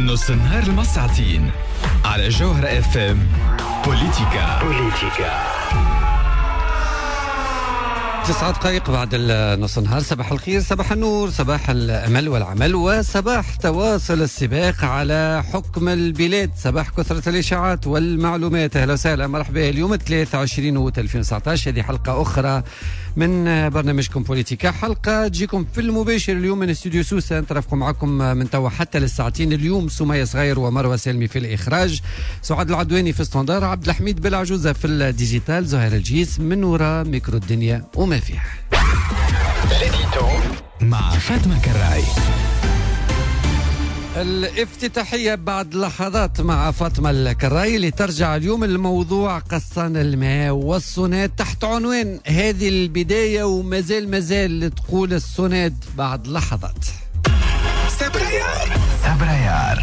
نص النهار المساعتين على جوهرة اف ام. بوليتيكا. بوليتيكا. 9 دقائق بعد النص نهار. صباح الخير، صباح النور، صباح الأمل والعمل، وصباح تواصل السباق على حكم البلاد، صباح كثرة الإشاعات والمعلومات. أهلا وسهلا، مرحبا. اليوم 23 أوت 2019، هذه حلقة أخرى من برنامجكم بوليتيكا، حلقة تجيكم في المباشر اليوم من استوديو سوسة. نترافقوا معكم من توا حتى للساعتين. اليوم سمية صغير ومروة سالمي في الإخراج، سعاد العدواني في standard، عبد الحميد بالعجوزة في ال digital، زهير الجيس من وراء ميكرو الدنيا وما فيها. مع فاطمة كراي. الافتتاحية بعد لحظات مع فاطمة الكراي اللي ترجع اليوم الموضوع قصان الماء والصوناد تحت عنوان هذه البداية ومازال مازال تقول الصوناد بعد لحظات. سبرايار. سبرايار.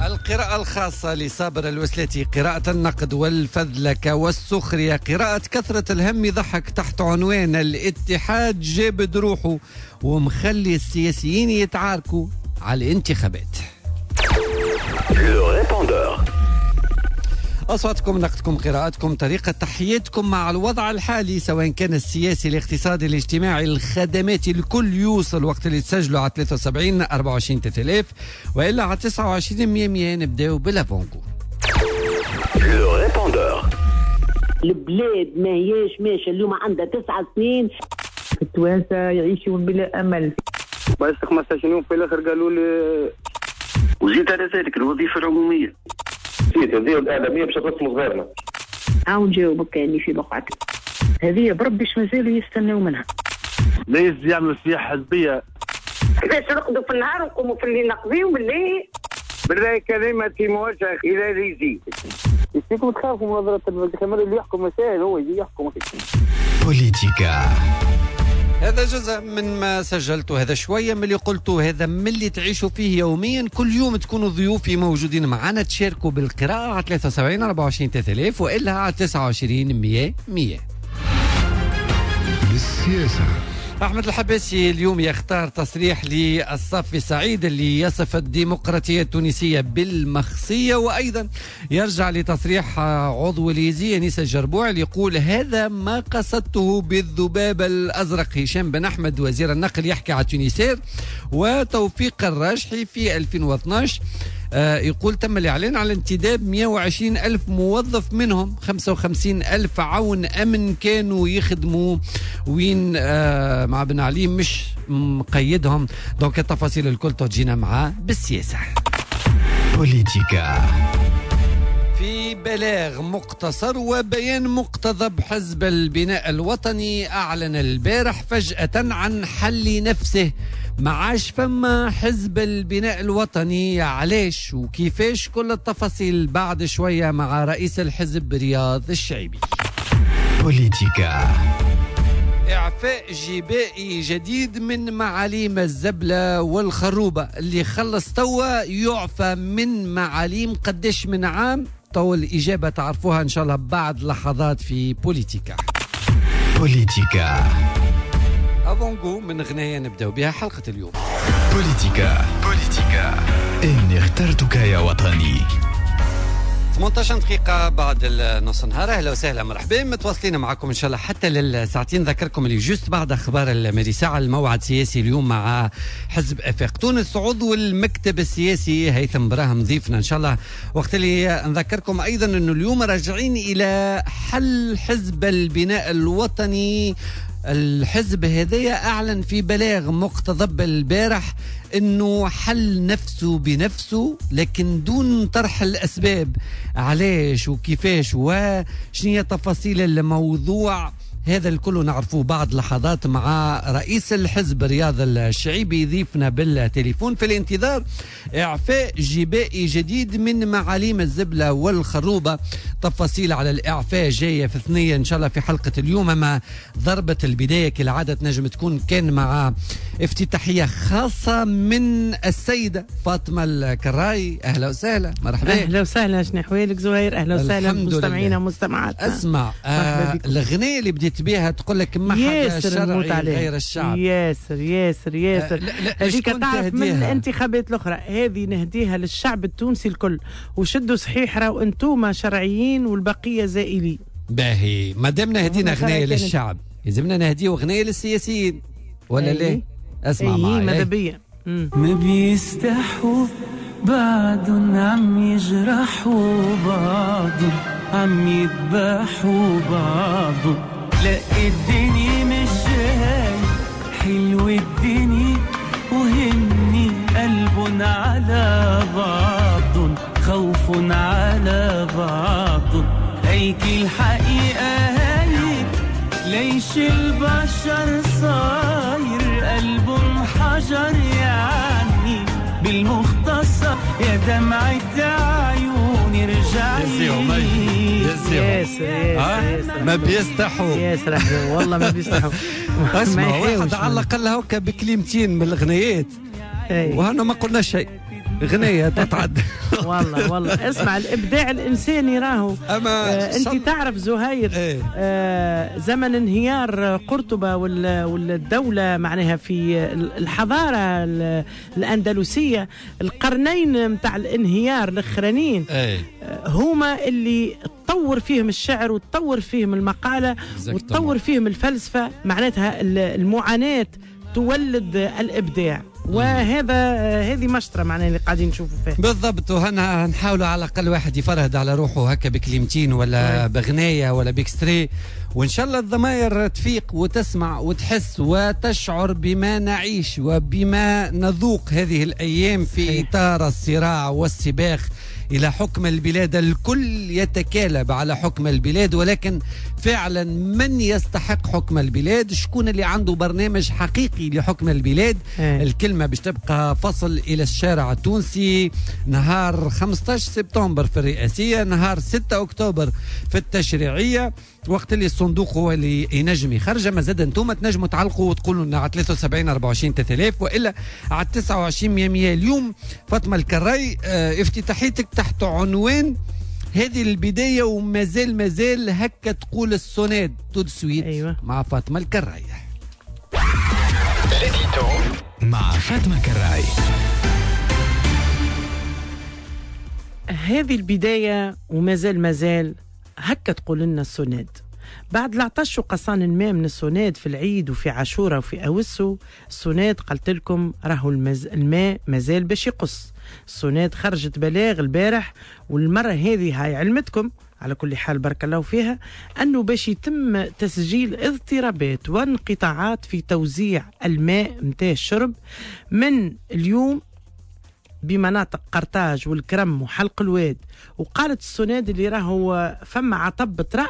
القراءة الخاصة لصابر الوسلاتي، قراءة النقد والفذلكة والسخرية، قراءة كثرة الهم يضحك تحت عنوان الاتحاد جابد روحه ومخلي السياسيين يتعاركوا على الانتخابات. أصواتكم، نقدكم، قراءتكم، طريقة تحياتكم مع الوضع الحالي سواء كان السياسي، الاقتصادي، الاجتماعي، الخدماتي، الكل يوصل وقت اللي تسجلوا على 73 24 3000 وإلا على 29 100 100. نبداو بال avant-goût. البلاد ما هياش ماشية اليوم، عندها 9 سنين. التوانسة يعيشون بلا أمل. بس 15 يوم في الآخر قالوا لي وزيد على ذلك الوظيفة العمومية. هذه الإعلامية باش ترسم صغيرنا. عاون جاوبك كأني في بقعتك. هذه بربي مازالوا يستناو منها. ليش يعملوا سياحة حزبية؟ كيفاش نرقدوا في النهار ونقوموا في الليل نقضيو بالله؟ بالله كلمة موجهة إلى ريزي. يشتيكم تخافوا من نظرة الكاميرا اللي يحكم مسائل هو يجي يحكم. بوليتيكا. هذا جزء من ما سجلته، هذا شوية من اللي قلته، هذا من اللي تعيشوا فيه يوميا. كل يوم تكونوا ضيوفي موجودين معنا، تشاركوا بالقراءة على 73 24 3000 وإلا على 29 100 100. بالسياسة. أحمد الحباسي اليوم يختار تصريح للصافي سعيد اللي يصف الديمقراطية التونسية بالمخصية، وأيضا يرجع لتصريح عضو اليزي أنيس الجربوع اللي يقول هذا ما قصدته بالذباب الأزرق. هشام بن أحمد وزير النقل يحكي على تونسير، وتوفيق الراجحي في 2012 يقول تم الإعلان على انتداب 120 ألف موظف، منهم 55 ألف عون أمن كانوا يخدموا وين مع بن علي مش مقيدهم. donc التفاصيل الكل تجينا معاه بالسياسة. بوليتيكا. في بلاغ مقتصر وبيان مقتضب، حزب البناء الوطني أعلن البارح فجأة عن حل نفسه. معاش فما حزب البناء الوطني، علاش وكيفاش؟ كل التفاصيل بعد شوية مع رئيس الحزب رياض الشعيبي. بوليتيكا. إعفاء جبائي جديد من معاليم الزبلة والخروبة، اللي خلص توا يعفى من معاليم قداش من عام؟ تو الإجابة تعرفوها إن شاء الله بعد لحظات في بوليتيكا. بوليتيكا. avant-goût من غناية نبدأ بها حلقة اليوم. بوليتيكا. بوليتيكا. إني اخترتك يا وطني. 18 دقيقة بعد النص نهار. أهلا وسهلا، مرحبا، متواصلين معكم إن شاء الله حتى للساعتين. ذكركم اللي juste بعد أخبار المريساعة الموعد السياسي اليوم مع حزب أفاق تونس، عضو المكتب السياسي هيثم براهم ضيفنا إن شاء الله. وقت اللي نذكركم أيضا أنه اليوم راجعين إلى حل حزب البناء الوطني. الحزب هذايا أعلن في بلاغ مقتضب البارح أنه حل نفسه بنفسه، لكن دون طرح الأسباب علاش وكيفاش وشنية تفاصيل الموضوع. هذا الكل نعرفوه بعد لحظات مع رئيس الحزب رياض الشعيبي يضيفنا بالتليفون. في الانتظار إعفاء جبائي جديد من معاليم الزبلة والخروبة، تفاصيل على الإعفاء جاية في ثنية إن شاء الله في حلقة اليوم. أما ضربة البداية كالعادة تنجم تكون كان مع افتتاحية خاصة من السيدة فاطمة الكراي. أهلا وسهلا، مرحبا. أهلا وسهلا، شنو أحوالك زهير؟ أهلا وسهلا مستمعينا ومستمعاتنا. أسمع، الأغنية اللي بديت بيها تقول لك ما حدا شرعي غير الشعب. ياسر ياسر ياسر، هذيك تعرف من الانتخابات الأخرى، هذه نهديها للشعب التونسي الكل، وشدوا صحيح راهو انتوما شرعيين والبقية زائلين. باهي، ما دامنا هدينا أغنية للشعب يلزمنا نهديه أغنية للسياسيين ولا ليه؟ اسمع معي ماذا بيا. ما بيستحوا بعد عم يجرحوا بعض، عم يذبحوا بعض. لا الدنيا مش هاي حلو الدنيا، وهني قلب على بعض، خوف على بعض. هيك الحقيقة هيك، ليش البشر صاير قلب حجر؟ يعني بالمختصر يا دمعة عيوني رجعي. ياسر ما بيستحوا، ياسر والله ما بيستحوا. اسمع، واحد على الأقل هكا بكلمتين من الأغنيات وهنا ما قلنا شيء، غنية تتعدى. والله والله اسمع، الإبداع الإنساني راهو. أنت تعرف زهير، ايه؟ زمن انهيار قرطبة والدولة معناها في الحضارة الأندلسية، القرنين متاع الانهيار الأخرانيين، ايه؟ هما اللي تطور فيهم الشعر وتطور فيهم المقالة وتطور فيهم الفلسفة، معناتها المعاناة تولد الإبداع، وهذا هذه مشطرة معناها اللي قاعدين نشوفوا فيها بالضبط. وهنا نحاولوا على الأقل واحد يفرهد على روحه هكا بكلمتين ولا بغناية ولا ب extrait، وإن شاء الله الضماير تفيق وتسمع وتحس وتشعر بما نعيش وبما نذوق هذه الأيام في إطار الصراع والسباق إلى حكم البلاد. الكل يتكالب على حكم البلاد، ولكن فعلا من يستحق حكم البلاد؟ شكون اللي عنده برنامج حقيقي لحكم البلاد؟ الكلمة باش تبقى فصل إلى الشارع التونسي نهار 15 سبتمبر في الرئاسية، نهار 6 أكتوبر في التشريعية، وقت اللي الصندوق هو اللي ينجم يخرج. ما زاد انتم تنجموا تعلقوا وتقولوا لنا على 73 24 3000 والا على 29 100. اليوم فاطمة الكراي، افتتاحيتك تحت عنوان هذه البداية ومازال مازال هكا تقول السوناد tout de suite. أيوة. مع فاطمة الكراي. مع فاطمة الكراي. هذه البداية ومازال مازال هكا تقول لنا السوناد. بعد العطش وقصان الماء من السوناد في العيد وفي عاشوره وفي أوسو، السوناد قلت لكم راهو الماء مازال باش يقص. السوناد خرجت بلاغ البارح، والمرة هذه هاي علمتكم على كل حال بارك الله فيها، أنه باش يتم تسجيل اضطرابات وانقطاعات في توزيع الماء متاع الشرب من اليوم بمناطق قرطاج والكرم وحلق الواد. وقالت السوناد اللي راهو فما عطب طرأ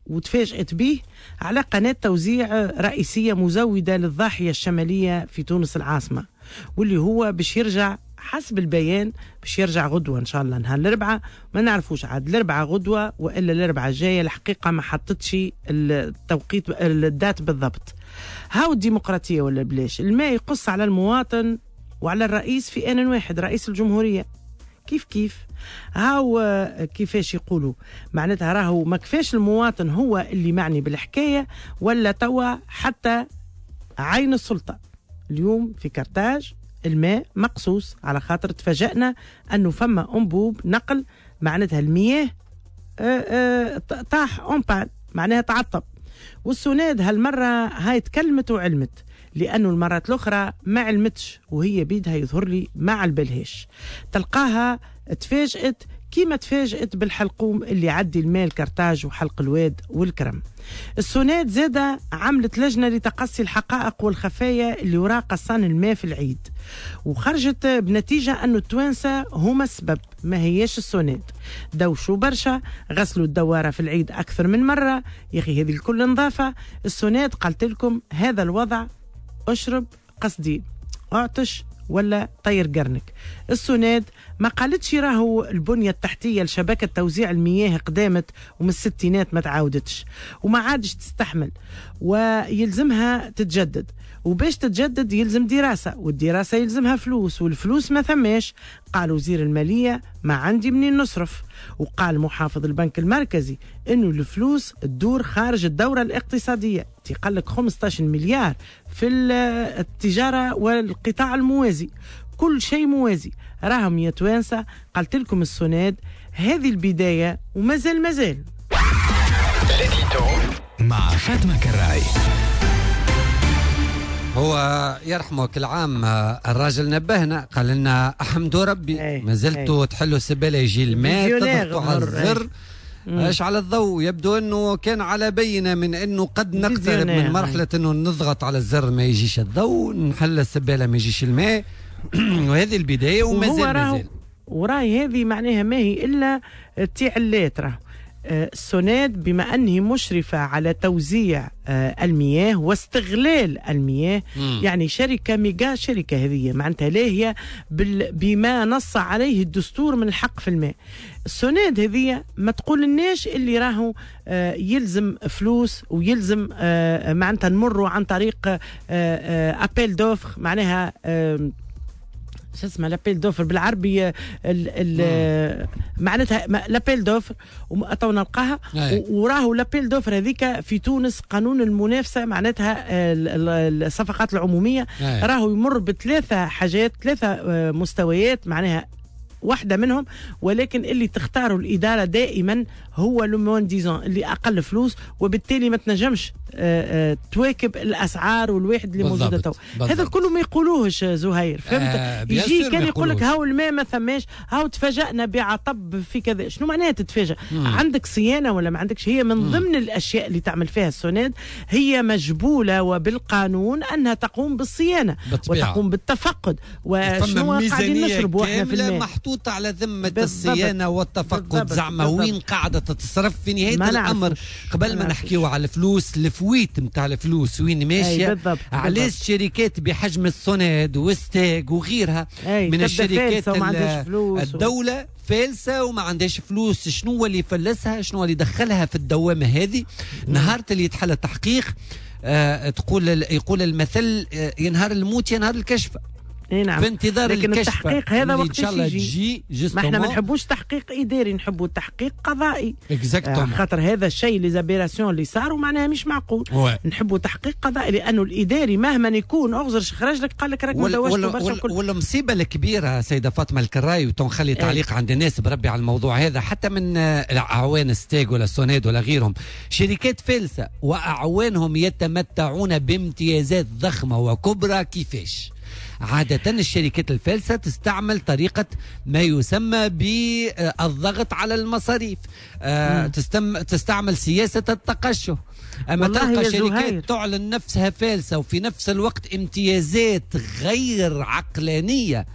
وتفاجأت به على قناة توزيع رئيسية مزودة للضاحية الشمالية في تونس العاصمة، واللي هو باش يرجع حسب البيان باش يرجع غدوة إن شاء الله نهار الأربعاء. ما نعرفوش عاد الأربعاء غدوة وإلا الأربعاء الجاية، الحقيقة ما حطتش التوقيت الدات بالضبط. هاو الديمقراطية ولا بلاش، الماء يقص على المواطن وعلى الرئيس في آن واحد، رئيس الجمهورية كيف كيف. هاو كيفاش يقولوا معناتها راهو ما كفاش المواطن هو اللي معني بالحكاية، ولا توا حتى عين السلطة. اليوم في كرتاج الماء مقصوص على خاطر تفاجأنا أنه فما أنبوب نقل معناتها المياه طاح en panne معناها تعطب. والسوناد هالمرة هاي تكلمت وعلمت، لأنه المرات الأخرى ما علمتش وهي بيدها يظهر لي ما علبلهاش. تلقاها تفاجأت كيما تفاجأت بالحلقوم اللي عدي الماء الكرتاج وحلق الواد والكرم. السوناد زادة عملت لجنة لتقصي الحقائق والخفايا اللي وراء قصان الماء في العيد، وخرجت بنتيجة أنه التوانسة هما السبب ما هياش السوناد. دوشوا برشا، غسلوا الدوارة في العيد أكثر من مرة، يا أخي هذه الكل نظافة. السوناد قالت لكم هذا الوضع اشرب قصدي اعطش ولا طير قرنك. السوناد ما قالتش راهو البنية التحتية لشبكة توزيع المياه قدامت ومن الستينات ما تعاودتش وما عادش تستحمل ويلزمها تتجدد، وباش تتجدد يلزم دراسة، والدراسة يلزمها فلوس، والفلوس ما ثماش. قال وزير المالية ما عندي منين نصرف، وقال محافظ البنك المركزي انه الفلوس تدور خارج الدورة الاقتصادية. قال لك 15 مليار في التجارة والقطاع الموازي، كل شيء موازي. راهم يا توانسة قالت لكم السوناد هذه البداية ومازال مازال. مع فاطمة كراي. هو يرحمك العام الراجل نبهنا قال لنا احمدوا ربي ما زلتوا تحلوا السبالة يجي الماء تضغطوا على الزر ايش على الضوء. يبدو انه كان على بينه من انه قد نقترب من مرحلة انه نضغط على الزر ما يجيش الضوء، نحل السبالة ما يجيش الماء. وهذه البداية ومازال مازال. وراي هذه معناها ما هي الا تعلات. راه السوناد بما أنه مشرفة على توزيع المياه واستغلال المياه، يعني شركة ميجا شركة هذه معناتها لاهية بما نص عليه الدستور من الحق في الماء. السوناد هذه ما تقول لناش اللي راهو يلزم فلوس ويلزم معناتها نمروا عن طريق appel d'offres، معناها شو اسمه l'appel d'offres بالعربي، معناتها l'appel d'offres تو نلقاها. وراهو l'appel d'offres هذيك في تونس قانون المنافسة معناتها الصفقات العمومية راهو يمر بثلاثة حاجات، ثلاثة مستويات، معناها واحدة منهم، ولكن اللي تختاره الإدارة دائما هو le moins-disant اللي أقل فلوس، وبالتالي ما تنجمش تواكب الأسعار والواحد اللي موجودة تو. هذا كله ما يقولوهش زهير، فهمت؟ يجي كان يقول لك هاو الماء ما ثماش، هاو تفاجأنا بعطب في كذا. شنو معناها تتفاجأ؟ عندك صيانة ولا ما عندكش؟ هي من ضمن الأشياء اللي تعمل فيها السوناد هي مجبولة وبالقانون أنها تقوم بالصيانة وتقوم بالتفقد. وشنو قاعدين نشربوا احنا في الماء محطوط على ذمة الصيانة والتفقد. زعما وين قاعدة تتصرف في نهاية الأمر؟ قبل ما نحكيو على الفلوس، ال fuite متاع الفلوس وين ماشية؟ علاش شركات بحجم السوناد والستاغ وغيرها من الشركات الدولة فالسة وما عندهاش فلوس؟ شنو اللي فلسها؟ شنو اللي دخلها في الدوامة هذه؟ نهار اللي يتحل التحقيق يقول المثل ينهار الموت ينهار الكشف. نعم. في انتظار لكن الكشف التحقيق هذا وقت ان شاء الله تجي. ما احنا ما نحبوش تحقيق اداري، نحبوا تحقيق قضائي. خاطر هذا الشيء les aberrations اللي صاروا معناها مش معقول. نحبوا تحقيق قضائي لانه الاداري مهما يكون اغزر خرج لك قال لك راك مدوشت برشا. والمصيبة الكبيرة سيده فاطمة الكراي، وتنخلي تعليق عند الناس بربي على الموضوع هذا، حتى من اعوان ستاغ ولا سوناد ولا غيرهم، شركات فالسه واعوانهم يتمتعون بامتيازات ضخمة وكبرى. كيفاش؟ عادة الشركات الفالسة تستعمل طريقة ما يسمى بالضغط على المصاريف، تستعمل سياسة التقشف. أما تلقى شركات تعلن نفسها فالسة وفي نفس الوقت امتيازات غير عقلانية.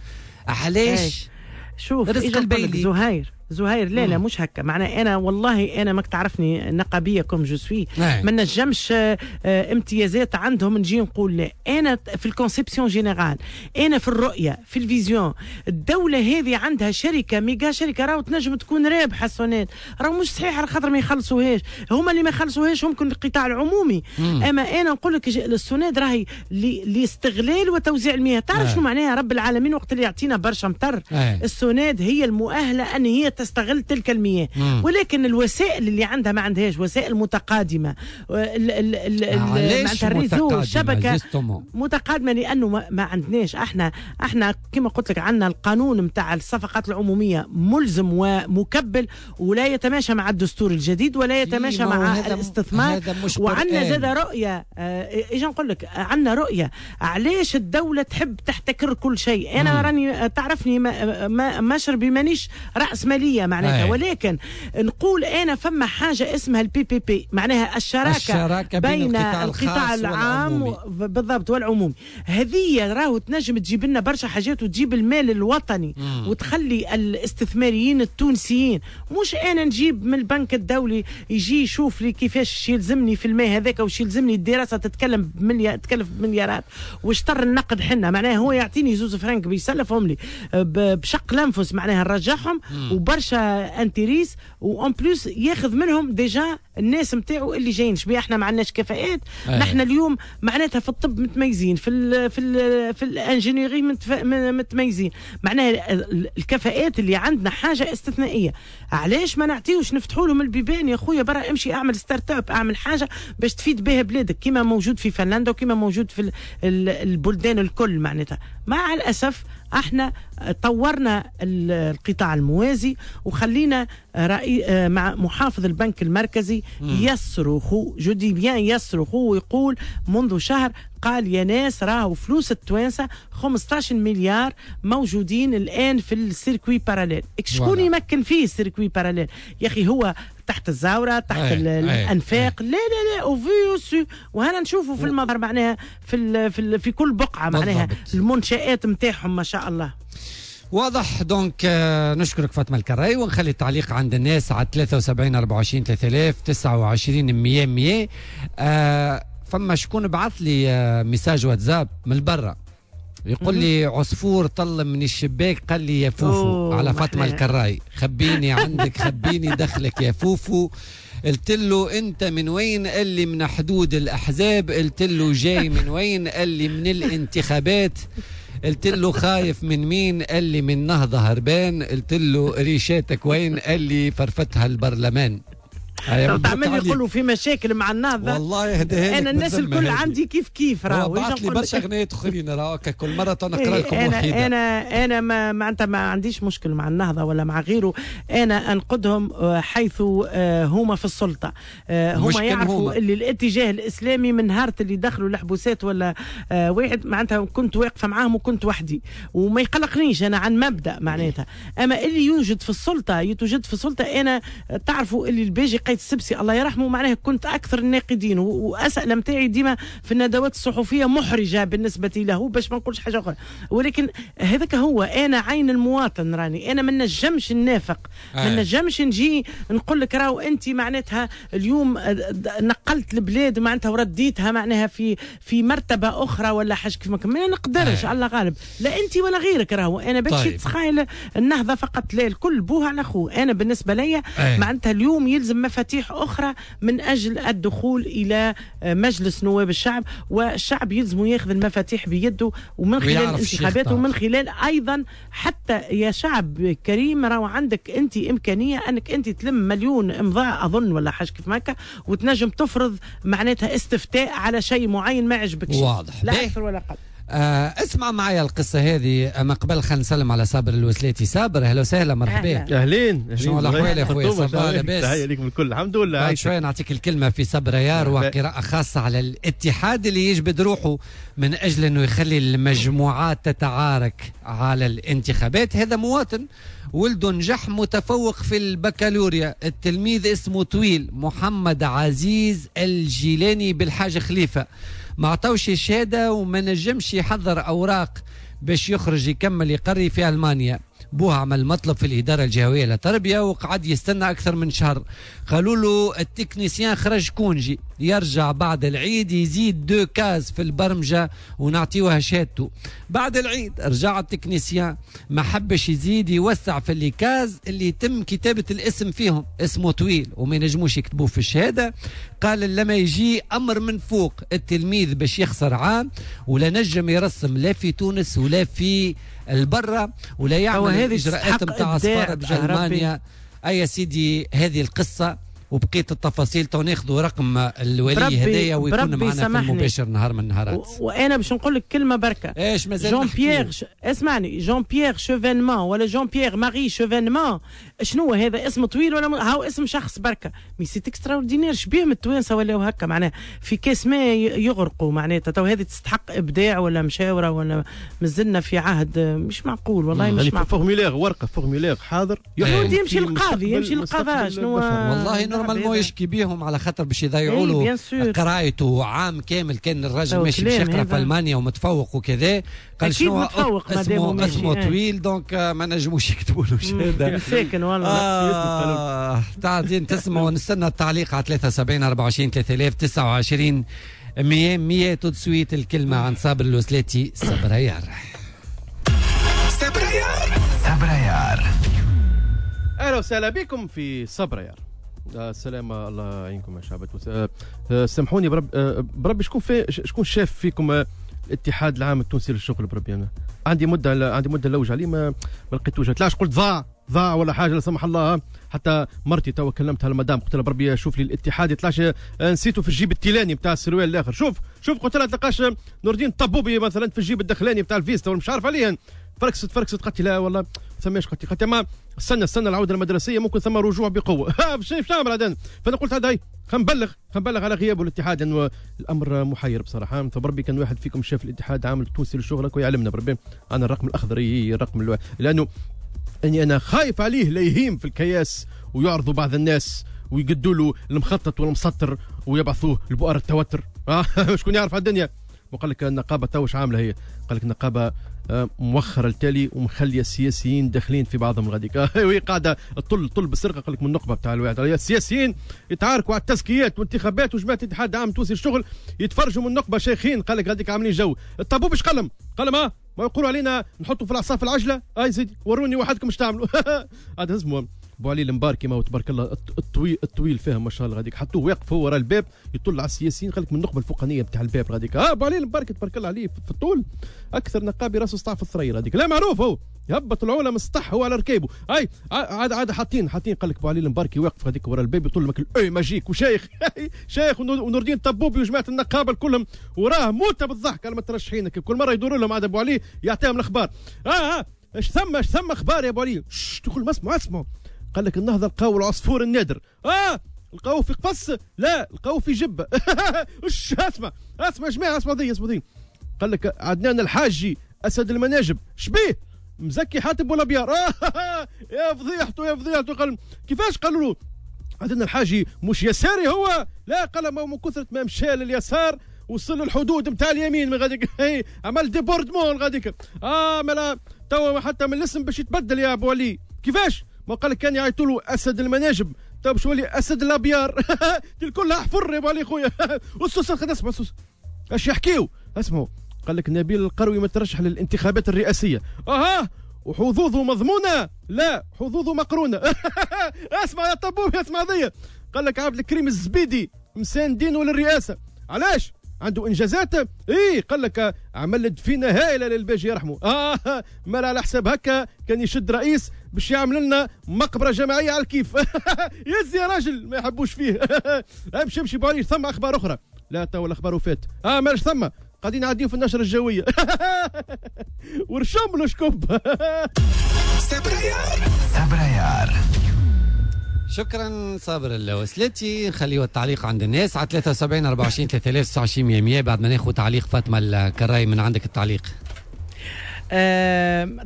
علاش؟ شوف رزق البيلي زهير لا لا مش هكا معناها. انا والله انا ماك تعرفني نقابيه comme je suis، ما نجمش امتيازات عندهم نجي نقول لا. انا في ال conception générale، انا في الرؤية، في ال vision. الدولة هذه عندها شركة méga شركة راهو تنجم تكون رابحه سوناد، راهو مش صحيح على خاطر ما يخلصوهاش هما اللي ما يخلصوهاش ممكن القطاع العمومي. اما انا نقول لك السوناد راهي لاستغلال وتوزيع المياه. تعرف شنو معناها رب العالمين وقت اللي يعطينا برشا مطر؟ السوناد هي المؤهله ان هي تستغل تلك المياه، ولكن الوسائل اللي عندها ما عندهاش وسائل متقادمه. معناتها ال réseau الشبكة متقادمه لانه ما عندناش احنا كما قلت لك عندنا القانون نتاع الصفقات العمومية ملزم ومكبل ولا يتماشى مع الدستور الجديد ولا يتماشى مع الاستثمار. وعندنا زاد رؤية، ايش نقول لك، عندنا رؤية علاش الدولة تحب تحتكر كل شيء. انا راني تعرفني مشربي مانيش راس ماليه معناتها، ولكن نقول انا فما حاجة اسمها ال PPP، معناها الشراكة بين القطاع العام بالضبط والعمومي. هذه راهو تنجم تجيب لنا برشا حاجات وتجيب المال الوطني وتخلي الاستثماريين التونسيين. مش انا نجيب من البنك الدولي يجي يشوف لي كيفاش يلزمني في الماء هذاك وش يلزمني، الدراسة تتكلم تكلف بمليارات واشتر النقد حنا، معناها هو يعطيني زوز فرنك بيسلفهم لي بشق الانفس معناها نرجعهم وبرا برشا intérêts، و en plus ياخذ منهم déjà الناس نتاعو اللي جايين. شبيه احنا ما عندناش كفاءات؟ نحن اليوم معناتها في الطب متميزين، في ال ingénierie متميزين، معناها الكفاءات اللي عندنا حاجة استثنائيه. علاش ما نعطيوش نفتحوا لهم البيبان؟ يا خويا برا امشي اعمل start-up، اعمل حاجة باش تفيد بها بلادك، كما موجود في فنلندا وكما موجود في البلدان الكل. معناتها مع الاسف احنا طورنا القطاع الموازي وخلينا رأي مع محافظ البنك المركزي يصرخ، je dis bien يصرخ، ويقول منذ شهر، قال يا ناس راهو فلوس التوانسة 15 مليار موجودين الان في ال circuit parallèle. شكون يمكن فيه ال circuit parallèle يا اخي؟ هو تحت الزاوره، تحت الانفاق. لا لا لا، au vu et au su. وهنا نشوفوا في المظهر معناها في كل بقعة معناها المنشآت نتاعهم ما شاء الله. واضح. donc نشكرك فاطمة الكراي، ونخلي التعليق عند الناس على 73 24 3000 29 100 100. فما شكون بعث لي message واتساب من برا، يقول لي عصفور طل من الشباك قال لي يا فوفو على فاطمة الكراي، خبيني عندك، خبيني دخلك يا فوفو. قلت له انت من وين؟ قال لي من حدود الاحزاب. قلت له جاي من وين؟ قال لي من الانتخابات. قلت له خايف من مين؟ قال لي من نهضة هربان. قلت له ريشاتك وين؟ قال لي فرفتها البرلمان. تعمل يقولوا في مشاكل مع النهضة. والله يهديها. انا الناس الكل عندي كيف كيف. راهو بعث لي برشا اغنيات اخرين، راهو كل مرة نقرا لكم وحيده. انا ما معناتها ما عنديش مشكل مع النهضة ولا مع غيره، انا انقدهم حيث هما في السلطه، هما يعرفوا اللي الاتجاه الاسلامي من نهار اللي دخلوا الحبوسات ولا واحد معناتها كنت واقفة معاهم وكنت وحدي وما يقلقنيش، انا عن مبدا معناتها. اما اللي يوجد في السلطة يتوجد في السلطه. انا تعرفوا اللي الباجي قايد السبسي الله يرحمه معناها كنت اكثر الناقدين، واسئلة نتاعي ديما في الندوات الصحفية محرجه بالنسبة له باش ما نقولش حاجة اخرى، ولكن هذاك هو. انا عين المواطن راني، انا ما نجمش ننافق، ما نجمش نجي نقول لك راهو انت معناتها اليوم نقلت البلاد معناتها ورديتها معناها في مرتبه اخرى ولا حاجة كيف ما نقدرش. الله غالب، لا انت ولا غيرك. راهو انا باش تتخيل النهضة فقط، لا، الكل بوه على خوه. انا بالنسبة لي معناتها اليوم يلزم مفاتيح أخرى من أجل الدخول إلى مجلس نواب الشعب، والشعب يلزم ياخذ المفاتيح بيده، ومن خلال الانتخابات ومن خلال أيضا حتى يا شعب كريم راهو عندك أنت إمكانية أنك أنت تلم 1,000,000 إمضاء أظن ولا حاجة كيف ماكا، وتنجم تفرض معناتها استفتاء على شيء معين ما عجبكش. واضح، لا أكثر ولا أقل. اسمع معايا القصة هذه. أما قبل خلينا نسلم على صابر الوسلاتي. صابر أهلا وسهلا، مرحبا. أهلين. شنو الأحوال يا خويا؟ ça va لاباس؟ تحية لكم الكل، الحمد لله. بعد شوية نعطيك الكلمة في صبريار وقراءة خاصة على الاتحاد اللي يجبد روحه من أجل أنه يخلي المجموعات تتعارك على الانتخابات. هذا مواطن ولده نجح متفوق في البكالوريا، التلميذ اسمه طويل محمد عزيز الجيلاني بالحاج خليفة، ما عطاوش شهادة وما نجمش يحضر أوراق باش يخرج يكمل يقري في ألمانيا. بوه عمل مطلب في الإدارة الجهوية للتربية وقعد يستنى أكثر من شهر. قالوا له ال technicien خرج congé، يرجع بعد العيد يزيد 2 cases في البرمجة ونعطيوها شهادته. بعد العيد رجع ال technicien ما حبش يزيد يوسع في les cases اللي يتم كتابة الاسم فيهم، اسمه طويل وما ينجموش يكتبوه في الشهادة. قال لما يجي أمر من فوق التلميذ باش يخسر عام ولا نجم يرسم لا في تونس ولا في البرة ولا يعمل الإجراءات نتاع سفارة بجرمانيا. أي يا سيدي هذه القصة وبقية التفاصيل تو ناخذوا رقم الولي هدايا ويكون معنا في المباشر نهار من النهارات. وانا باش نقول لك كلمة بركة. ايش مازال جون بيير اسمعني، جون بيير شوفينمان ولا جون بيير ماري شوفينمان، شنو هذا اسم طويل ولا هاو اسم شخص بركة؟ mais c'est extraordinaire. شبيهم التوانسة ولاو هكا معناها في كاس ما يغرقوا معناتها. تو هذه تستحق ابداع ولا مشاوره ولا مازلنا في عهد مش معقول والله مش معقول. formulaire، ورقة formulaire حاضر يمشي القاضي، يمشي القضاء شنو والله normalement يشكي بيهم على خاطر باش يضيعوا له قرايته عام كامل. كان الراجل ماشي باش يقرا في المانيا ومتفوق وكذا، قال شنو اسمه طويل donc ما نجموش يكتبوا له شهادة. مساكن والله. تعدين تسمعوا، نستنى التعليق على 73 24 3000 29 100 100. tout de suite الكلمة عن صابر الوسلاتي. صبريار صبريار صبريار. اهلا وسهلا بكم في صبرا يار. السلام، الله يعينكم يا شعب تونس. سامحوني بربي شكون شاف فيكم الاتحاد العام التونسي للشغل؟ بربي انا عندي مده لوج عليه ما لقيتوش. طلعش قلت ضاع ولا حاجة لا سمح الله. حتى مرتي توا كلمتها المدام قلت لها بربي شوف لي الاتحاد يطلعش نسيته في الجيب التيلاني نتاع السروال الاخر. شوف قلت لها تلقاش نور الدين الطبوبي مثلا في الجيب الدخلاني نتاع الفيستا ولا مش عارف عليه. فركست قالت لي لا والله ثماش. قالت لي ما استنى العودة المدرسية ممكن ثم رجوع بقوة. باش نعمل هذا؟ فانا قلت هذا خنبلغ على غيابه الاتحاد لانه الامر محير بصراحة. فبربي كان واحد فيكم شاف الاتحاد عامل التونسي للشغل ويعلمنا بربي. انا الرقم الاخضر الرقم لانه اني انا خايف عليه لا يهيم في الكياس ويعرضوا بعض الناس ويقدوا له المخطط والمسطر ويبعثوه لبؤر التوتر. شكون يعرف على الدنيا؟ وقال لك النقابة تو واش عامله هي؟ قال لك النقابة موخره التالي ومخليه السياسيين داخلين في بعضهم غاديك. وهي قاعدة تطل بالسرقة. قال لك من النقبه بتاع الواحد السياسيين يتعاركوا على التزكيات والانتخابات وجماعه الاتحاد العام التونسي للشغل يتفرجوا من النقبه شيخين. قال لك غاديك عاملين جو. الطابو باش قلم ما يقولوا علينا نحطوا في العصا في العجلة. اي سيدي وروني وحدكم اش تعملوا. هذا اسمه ابو علي المباركي ما هو تبارك الله الطويل فيها ما شاء الله. غاديك حطوه واقف هو ورا الباب يطل على السياسيين. قال لك من النقبه الفوقانيه بتاع الباب غاديك. ابو علي المباركي تبارك الله عليه في الطول اكثر نقابي راسه سطع في الثرير غاديك. لا معروف هو يهبط العولة من السطح هو على ركيبه. اي عاد حاطين قال لك ابو علي المباركي واقف غاديك ورا الباب يطل لك الاي ماجيك وشيخ شيخ ونور الدين الطبوبي وجماعه النقابة كلهم وراه موته بالضحك على المترشحين. كل مرة يدوروا لهم عاد ابو علي يعطيهم الاخبار. اش ثم اخبار يا ابو علي؟ تقول ما اسمعوا. قال لك النهضة لقاو العصفور النادر. لقاوه في قفص؟ لا لقاوه في جبه. اسمع يا جماعة، اسمع ذي. قال لك عدنان الحاجي اسد المناجب شبيه مزكي حاتم ولا بيار. يا فضيحته. قال كيفاش؟ قالوا له عدنان الحاجي مش يساري هو؟ لا قال ما من كثرة ما مشى لليسار وصل للحدود نتاع اليمين من غاديك. عمل débordement غاديك. ملا توا حتى من الاسم باش يتبدل يا ابو علي. كيفاش؟ ما قال لك كان يعيطوا له اسد المناجب تو باش يولي اسد الابيار. الكل حفر يا ابو علي خويا. اسس اسمع اسس اش يحكيو. اسمعوا قال لك نبيل القروي مترشح للانتخابات الرئاسية. وحظوظه مضمونه؟ لا حظوظه مقرونة. اسمع يا طبوب اسمع ذي. قال لك عبد الكريم الزبيدي مساندينه للرئاسة. علاش؟ عنده انجازات. ايه قال لك عمل دفينه هائلة للباجي يرحمه. مال على حساب هكا كان يشد رئيس باش يعمل لنا مقبره جماعية على الكيف. يزي يا راجل ما يحبوش فيه. امشي بوعلي. ثم اخبار اخرى؟ لا تو الاخبار وفات. مالش ثم قاعدين نعديو في النشرة الجوية. ورشم له شكوب. صبريار. شكرا صابر الوسلاتي. نخليو التعليق عند الناس على 73 24 3029 100 بعد ما ناخذ تعليق فاطمة الكراي. من عندك التعليق؟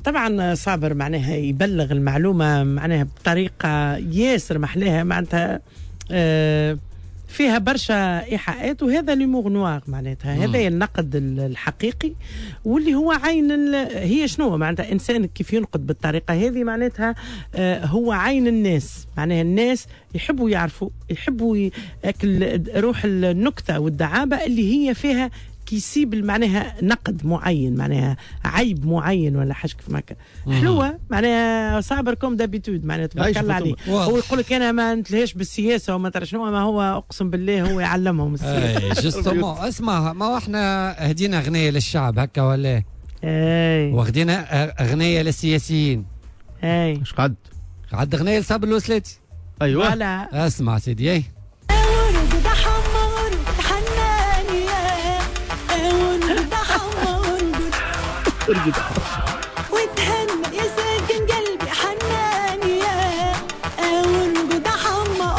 طبعا صابر معناها يبلغ المعلومة معناها بطريقة ياسر محلاها، معناتها فيها برشا إيحاءات، وهذا l'humour noir معناتها هذا النقد الحقيقي واللي هو عين هي شنو معناتها إنسان كيف ينقد بالطريقة هذه معناتها هو عين الناس، معناها الناس يحبوا يعرفوا، يحبوا روح النكتة والدعابة اللي هي فيها كيسيب معناها نقد معين، معناها عيب معين ولا حاجة كيف هكا. حلوة معناها صابر comme d'habitude معناها تبارك الله عليه. هو يقول لك انا ما نتلهاش بالسياسة وما ترى شنو، ما هو اقسم بالله هو يعلمهم السياسة. justement اسمع، ما احنا هدينا اغنية للشعب هكا ولا؟ اي وخدينا اغنية للسياسيين. اي اش قعد؟ قعد اغنية لصابر الوسلاتي. ايوه اسمع سيدي. اي ارقد وتهنى يا ساكن قلبي حنان يا ارقد حما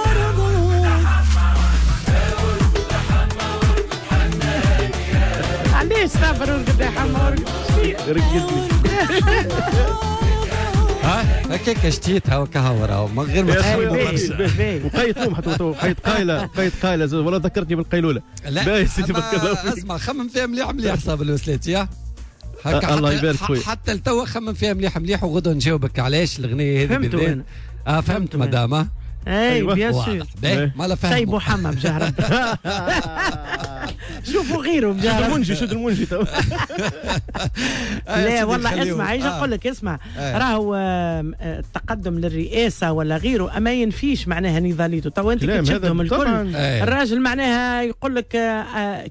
ارقد. علاش صابر ارقد يا حما ارقد؟ رقدني ها هكاك شتيتها وكهو راهو من غير ما تخمم. وقيت نوم حتى وقيت قايله، وقيت قايله ولا ذكرتني بالقيلوله. لا اسمع خمم فيها مليح مليح صابر الوسلاتي. هكا الله يبارك خويا. حتى لتوا خمم فيها مليح مليح وغدوه نجاوبك علاش الاغنية هذه بالذات. فهمت مدام. اي bien sûr. ما لا فهم سيبوا حمام بجهر. شوفوا غيره. شد المنجي، شد المنجي تو. لا والله اسمع، ايش نقول لك، اسمع، راهو التقدم للرئاسة ولا غيره اما ينفيش معناها نضاليته. تو انت كي تشدهم الكل، الراجل معناها يقول لك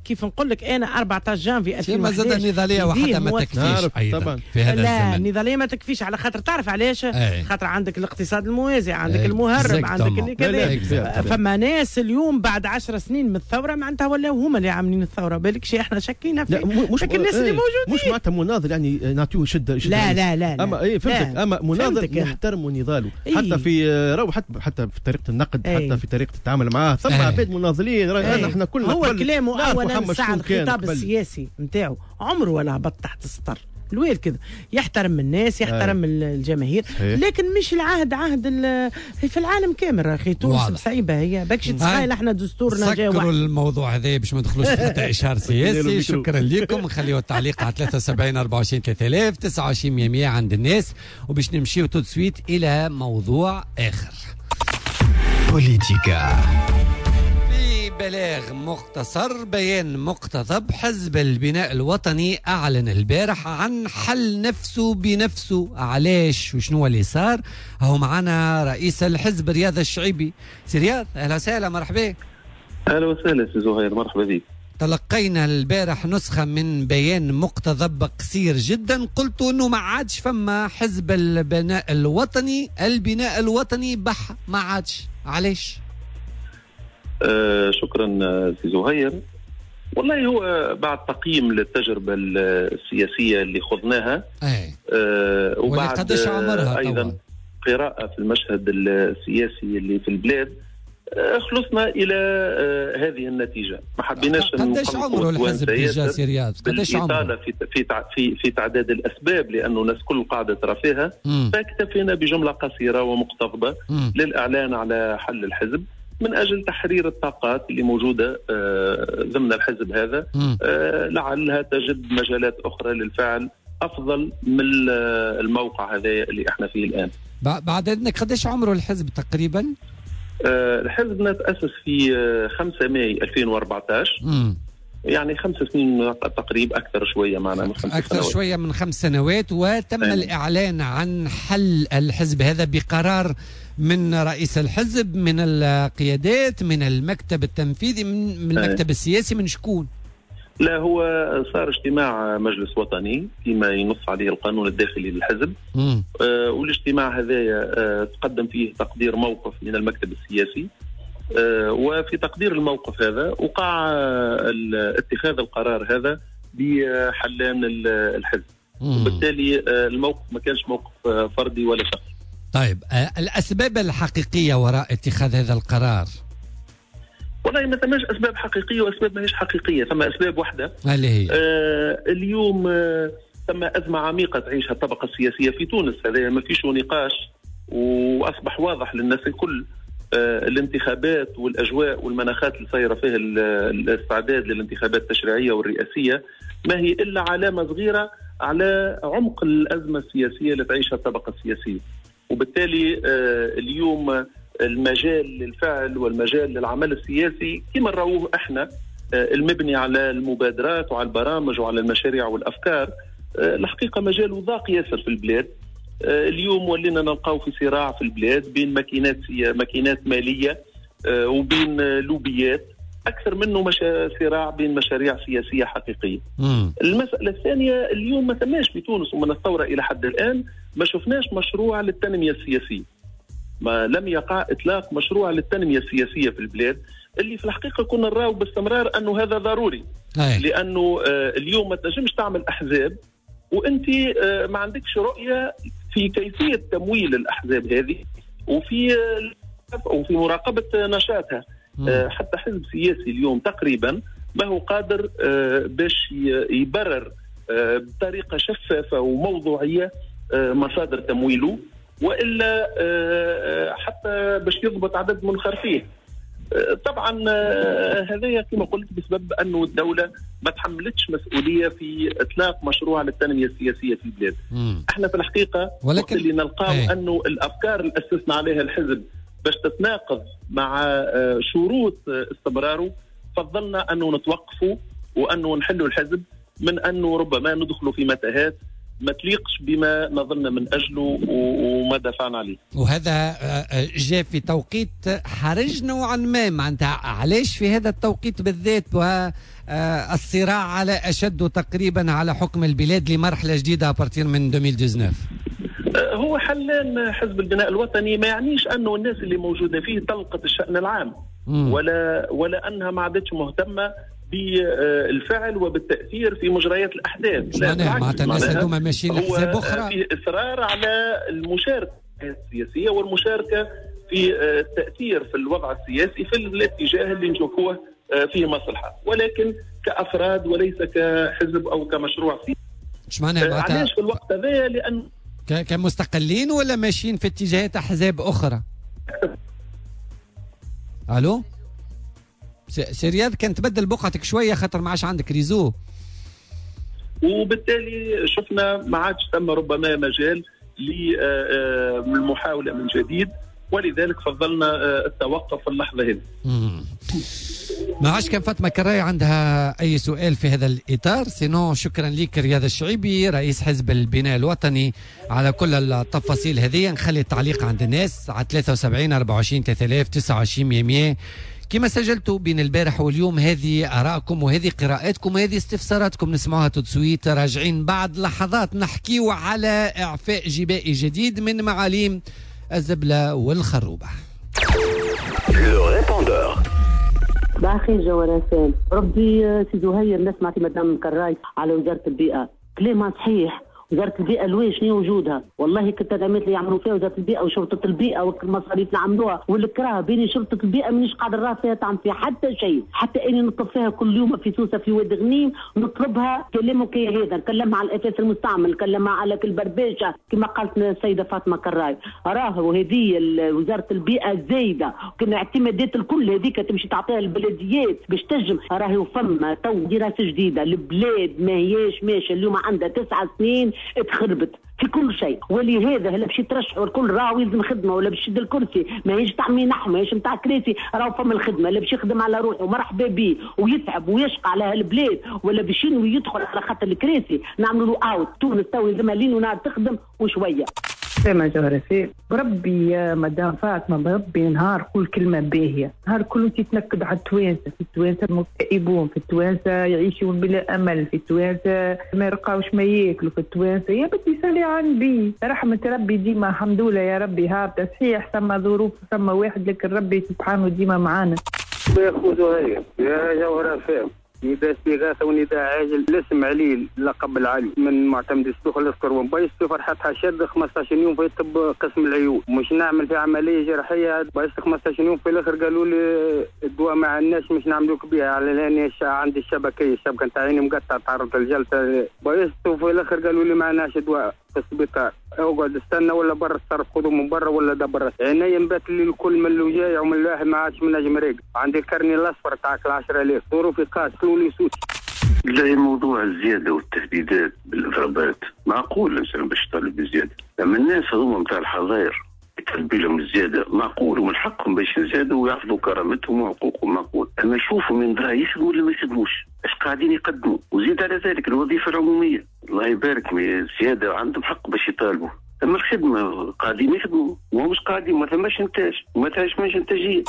كيف نقول لك انا 14 جانفي 2011 ما زاد النضاليه وحدها ما تكفيش ايضا في هذا الزمن. لا النضاليه ما تكفيش، على خاطر تعرف علاش؟ خاطر عندك الاقتصاد الموازي، عندك المهرب، عندك اللي كذا. فما ناس اليوم بعد 10 سنين من الثورة معناتها ولاو هما اللي عاملين الثورة، بالك شي احنا شاكين في مش الناس اللي موجودين. مش معناتها مناضل يعني نعطيوه شده لا لا لا، اما اي فهمتك، اما مناضل نحترموا نضاله حتى في راهو، حتى في طريقه النقد، حتى في طريقه التعامل معاه. ثم عباد مناضلين، احنا كلنا هو كلامه اولا ساعة الخطاب السياسي نتاعو عمره ولا هبط تحت السطر الويل كذا، يحترم الناس، يحترم الجماهير، لكن مش العهد عهد في العالم كامل. اخي تونس صعيبة هي، باكش تسخايل احنا دستورنا جا واحد. سكروا الموضوع هذا باش ما ندخلوش حتى اشهار سياسي. شكرا لكم، نخليو التعليق على 73 24 3000 29 100 عند الناس، وباش نمشيو tout de suite الى موضوع اخر. بوليتيكا. بلاغ مختصر، بيان مقتضب، حزب البناء الوطني أعلن البارح عن حل نفسه بنفسه. علاش وشنو اللي صار؟ هو معنا رئيس الحزب رياض الشعيبي. سي رياض، أهلا وسهلا، مرحبا. أهلا وسهلا سي زهير، مرحبا بك. تلقينا البارح نسخة من بيان مقتضب قصير جدا، قلت أنه ما عادش فما حزب البناء الوطني، البناء الوطني بح ما عادش، علاش؟ شكرا سي زهير. والله هو بعد تقييم للتجربة السياسية اللي خضناها وبعد أيضا قراءة في المشهد السياسي اللي في البلاد، خلصنا إلى هذه النتيجة. ما حبيناش قداش عمره الحزب déjà سي رياض؟ قداش عمره؟ في في في تعداد الأسباب، لأنه الناس كل قاعدة ترى فيها، فاكتفينا بجملة قصيرة ومقتضبة للإعلان على حل الحزب من أجل تحرير الطاقات اللي موجودة ضمن الحزب هذا، لعلها تجد مجالات أخرى للفعل أفضل من الموقع هذا اللي احنا فيه الآن. بعد إذنك قداش عمره الحزب تقريبا؟ الحزب تأسس في 5 ماي 2014، يعني 5 سنين تقريبا، أكثر شوية معنا من 5 أكثر سنوات. شوية من 5 سنوات. وتم الإعلان عن حل الحزب هذا بقرار من رئيس الحزب، من القيادات، من المكتب التنفيذي، من المكتب السياسي، من شكون؟ لا، هو صار اجتماع مجلس وطني فيما ينص عليه القانون الداخلي للحزب، والاجتماع هذا تقدم فيه تقدير موقف من المكتب السياسي، وفي تقدير الموقف هذا وقع اتخاذ القرار هذا بحلان الحزب، وبالتالي الموقف ما كانش موقف فردي ولا شخصي. طيب، الأسباب الحقيقية وراء اتخاذ هذا القرار؟ والله ما ثماش أسباب حقيقية وأسباب ماهيش حقيقية، ثم أسباب واحدة اللي هي اليوم ثم أزمة عميقة تعيشها الطبقة السياسية في تونس، هذا ما فيش نقاش وأصبح واضح للناس الكل. الانتخابات والأجواء والمناخات اللي صايرة فيها الاستعداد للانتخابات التشريعية والرئاسية ما هي إلا علامة صغيرة على عمق الأزمة السياسية اللي تعيشها الطبقة السياسية، وبالتالي اليوم المجال للفعل والمجال للعمل السياسي كما نروه احنا المبني على المبادرات وعلى البرامج وعلى المشاريع والأفكار، الحقيقة مجال ضاق ياسر في البلاد. اليوم ولينا نلقاو في صراع في البلاد بين ماكينات مالية وبين لوبيات، أكثر منه صراع بين مشاريع سياسية حقيقية. المسألة الثانية، اليوم ما ثماش في تونس ومن الثورة إلى حد الآن ما شفناش مشروع للتنمية السياسية، ما لم يقع إطلاق مشروع للتنمية السياسية في البلاد، اللي في الحقيقة كنا نراو باستمرار أنه هذا ضروري. لأنه اليوم ما تنجمش تعمل أحزاب وأنت ما عندكش رؤية في كيفية تمويل الأحزاب هذه وفي مراقبة نشاطها. حتى حزب سياسي اليوم تقريبا ما هو قادر باش يبرر بطريقة شفافة وموضوعية مصادر تمويله، وإلا حتى باش يضبط عدد منخرطيه. طبعا هذا كما قلت بسبب أنه الدولة ما تحملتش مسؤولية في إطلاق مشروع للتنمية السياسية في البلاد. احنا في الحقيقة وقت اللي نلقاو أنه الأفكار اللي أسسنا عليها الحزب باش تتناقض مع شروط استمراره، فضلنا أنه نتوقفوا وانه نحلوا الحزب من انه ربما ندخلوا في متاهات ما تليقش بما نظلنا من اجله وما دفعنا عليه. وهذا جاء في توقيت حرج نوعا ما، معناتها علاش في هذا التوقيت بالذات والصراع على اشد تقريبا على حكم البلاد لمرحلة جديدة à partir من 2019؟ هو حلان حزب البناء الوطني ما يعنيش انه الناس اللي موجودة فيه طلقت الشان العام ولا انها ما عادتش مهتمة بالفعل وبالتاثير في مجريات الاحداث. لا، معناتها الناس هذوما ماشيين لحساب اخرى، فيه اصرار على المشاركة السياسية والمشاركة في التاثير في الوضع السياسي في الاتجاه اللي نشوفوه فيه مصلحة، ولكن كافراد وليس كحزب او كمشروع سياسي. اش معناها؟ علاش في الوقت هذا؟ لان كمستقلين ولا ماشيين في اتجاهات احزاب اخرى؟ الو سي رياض، كان تبدل بقعتك شوية خاطر ما عادش عندك réseau. وبالتالي شفنا ما عادش ثم ربما مجال للمحاوله من جديد، ولذلك فضلنا التوقف في اللحظة هذه. ما عادش كان فاطمة كراي عندها اي سؤال في هذا الاطار، sinon شكرا لك رياض الشعيبي رئيس حزب البناء الوطني على كل التفاصيل هذه. نخلي التعليق عند الناس على 73 24 3000 29 100 كما سجلتوا بين البارح واليوم. هذه آرائكم وهذه قراءاتكم وهذه استفساراتكم، نسمعوها tout de suite. راجعين بعد لحظات نحكيو على إعفاء جبائي جديد من معاليم الزبلة والخروبة. باخي جوهرة ربي سي زهير، نسمع في مدام كراي على وزارة البيئة كلامها صحيح. وزارة البيئة لواش شنو وجودها؟ والله كنت التدعيمات اللي يعملوا فيها وزارة البيئة وشرطة البيئة والمصاريف اللي عملوها والكراهة بين شرطة البيئة مانيش قادر راه فيها تعمل فيها حتى شيء، حتى اني نطلب فيها كل يوم في سوسة في واد غنيم نطلبها كلامك هذا، نكلمها على الأثاث المستعمل، نكلمها على كل برباشة كما قالت السيدة فاطمة كراي. راهو هذه وزارة البيئة زايدة، كنا اعتمادات الكل هذيك تمشي تعطيها البلديات باش تنجم. راهي فما تو دراسة جديدة، البلاد ما هياش ماشية، اليوم عندها 9 سنين اتخربت في كل شيء، ولهذا هلا باش يترشحوا الكل راهو يلزم خدمة، ولا باش يشد الكرسي ماهيش تاع منح ماهيش نتاع كراسي، راهو فما الخدمة، لا باش يخدم على روحه مرحبا به ويتعب ويشقى على هالبلاد، ولا باش ينوي يدخل على خاطر الكراسي نعملوا له out. تونس تو يلزمها لين ونهار تخدم وشوية. سلام جوهرة، بربي يا مدام فاطمة، بربي نهار كل كلمة باهية، نهار كله تتنكد على التوانسة، في التوانسة مكتئبون، في التوانسة يعيشون بلا أمل، في التوانسة ما يلقاوش ما ياكلوا، في التوانسة يا بدي صلي على النبي، رحمة ربي ديما الحمد لله يا ربي هابطة، صحيح ثم ظروف ثم واحد لكن ربي سبحانه ديما معانا. يا خو زهير يا جوهرة فاهم، نداء استغاثة ونداء عاجل، الاسم علي لقب العلي من معتمد السوق الاسكر ومبيس في فرحتها شد 15 يوم في طب قسم العيون، مش نعمل في عملية جراحية بس 15 يوم في الاخر قالوا لي الدواء ما عندناش مش نعملوك بها على لاني عندي الشبكيه، الشبكة نتاع عيني مقطعه تعرضت للجلطه بيست، وفي الاخر قالوا لي ما عندناش دواء في السبيطار، اقعد استنى ولا برا الصرف خذوا من برا ولا دبر. عيني نبات لي الكل من الوجايع ومن الواحد ما عادش من نجم ريق، عندي الكرني الاصفر تاعك 10000 ظروفي قاس لي سوتي. لا موضوع الزيادة والتهديدات بالاضرابات معقول الانسان باش يطالب بالزيادة، اما الناس هذوما نتاع الحظاير يطالبوا لهم الزيادة معقول ومن حقهم باش يزادوا ويحفظوا كرامتهم وحقوقهم معقول، اما شوفوا من درا يخدموا ولا ما يخدموش، اش قاعدين يقدموا، وزيد على ذلك الوظيفة العمومية الله يبارك الزيادة عندهم حق باش يطالبوا، اما الخدمة قاعدين يخدموا ومش قاعدين، ما ثماش انتاج وما ثماش انتاجية.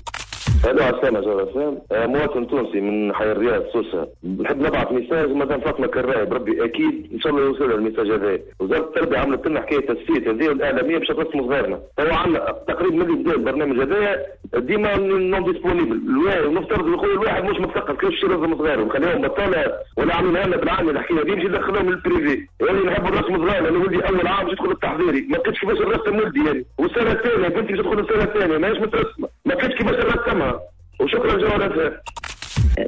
هذا عسلامة جوهرة، مواطن تونسي من حي الرياض سوسة، نحب نبعث message مدام فاطمة كراي بربي أكيد إن شاء الله يوصل ال message هذا. وزارة التربية عملت لنا حكاية تصفية هذه والإعلامية باش ترسموا صغارنا، تو عندنا تقريبا من اللي بدا البرنامج هذايا ديما non disponible، ونفترض نقول الواحد مش مثقف كيفاش يرسم صغاره، نخليهم بطالة ولا عاملينها لنا بالعامل الحكاية هذه باش يدخلوهم لل privé، يعني نحب نرسم صغارنا، أنا ولدي أول عام باش يدخل التحضيري، ما لقيتش كيفاش نرسم ولدي يعني، والسنة الثانية بنتي باش تدخل السنة الثانية ماهيش مترسمة، ما لقيتش كيفاش نرسمها. وشكرا جوهرة.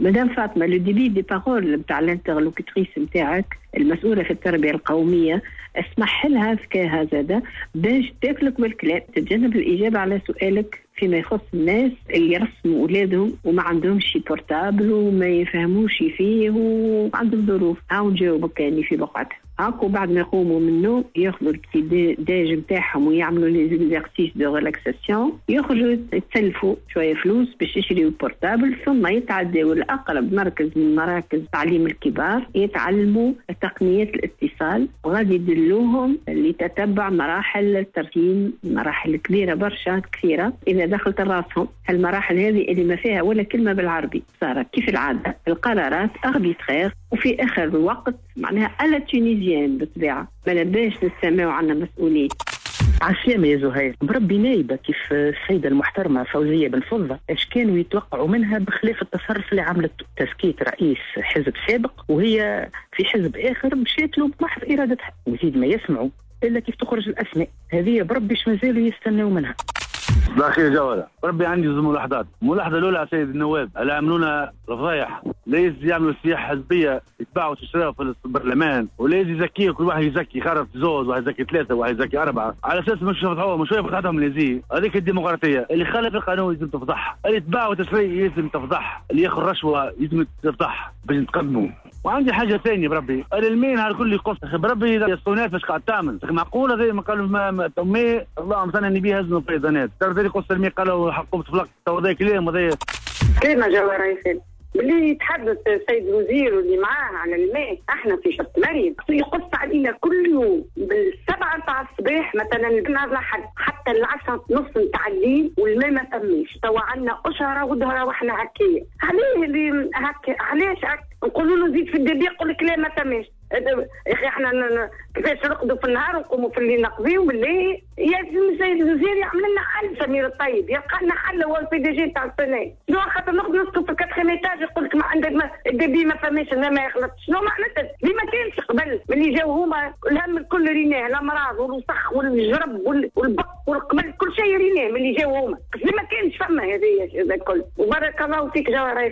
مدام فاطمة، le débit de parole نتاع ال interlocutrice نتاعك المسؤولة في التربية القومية اسمح لها ذكاها زاده باش تاكلك بالكلام، تتجنب الاجابة على سؤالك فيما يخص الناس اللي يرسموا اولادهم وما عندهمش portable وما يفهموش فيه وعندهم ظروف. هاو نجاوبك يعني في بقعتها. هاكو بعد ما يقوموا من النوم ياخذوا ال petit déj نتاعهم ويعملوا les exercices de relaxation، يخرجوا يتسلفوا شوية فلوس باش يشريوا portable، ثم يتعداو لاقرب مركز من مراكز تعليم الكبار يتعلموا تقنيات الاتصال، وغادي يدلوهم لتتبع مراحل الترسيم، مراحل كبيرة برشا كثيرة اذا دخلت راسهم المراحل هذه اللي ما فيها ولا كلمة بالعربي. صارت كيف العادة القرارات arbitraires وفي اخر الوقت معناها à la tunisienne بالطبيعة ما لباش نستمعوا عنا مسؤولين. عسلامة يا زهير، بربي نايبة كيف السيدة المحترمة فوزية بن فضة اش كانوا يتوقعوا منها بخلاف التصرف اللي عملته، تزكية رئيس حزب سابق وهي في حزب آخر مشات له بمحض إرادتها، وزيد ما يسمعوا إلا كيف تخرج الأسماء هذه، بربي اش مازالوا يستناو منها. صباح الخير جوهرة، ربي عندي زوج ملاحظات، الملاحظة الأولى على سيد النواب اللي عملونا الفضايح، ليس يعملوا سياحة حزبية يتباعوا وتشتروا في البرلمان، وليس يزكيه كل واحد يزكي خرف زوز، واحد يزكي ثلاثة، واحد يزكي أربعة، على أساس مش يفضحوهم، مش يفضحهم اللي هذيك الديمقراطية، اللي خالف القانون لازم تفضح، اللي يتباع وتشتري لازم تفضح، اللي ياخذ رشوة لازم تفضح باش نتقدموا. وعندي حاجة ثانية بربي، المين على الكل يقص بربي الصونات باش قاعد تعمل، معقولة زي ما قالوا ما امي اللهم صل على النبي هزنوا فيضانات، ترى يقص المي قالوا حقهم تفلق تو هذا كلام هذا كلمة جوهرة. باللي يتحدث السيد الوزير واللي معاه على الماء، احنا في شط مريم يقص علينا كل يوم بال7 تاع الصباح مثلا نهار الاحد حتى 10:30 نتاع الليل والماء ما فماش. توا عندنا اشهره وظهره واحنا هكايا. عليه اللي هكا؟ علاش هكا؟ نقولوا له زيد في ال débit يقول لك لا ما فماش. يا اخي احنا كيفاش نرقدوا في النهار ونقوموا في الليل نقضيو بالله؟ يا السيد الوزير يعمل لنا حل، سمير الطيب يلقى لنا حل، هو ال PDG تاع السنة. شنو خاطر نقعد نسكن في ال quatrième étage يقول لك ما عندك ما ال débit ما فماش ما يخلطش. شنو معناتها؟ اللي ما كانش قبل ملي جاو هما الهم الكل ريناه، الامراض والوسخ والجرب والبق والقمل كل شيء ريناه ملي جاو هما، اللي ما كانش فما هذه الكل. وبارك الله فيك جوهرة.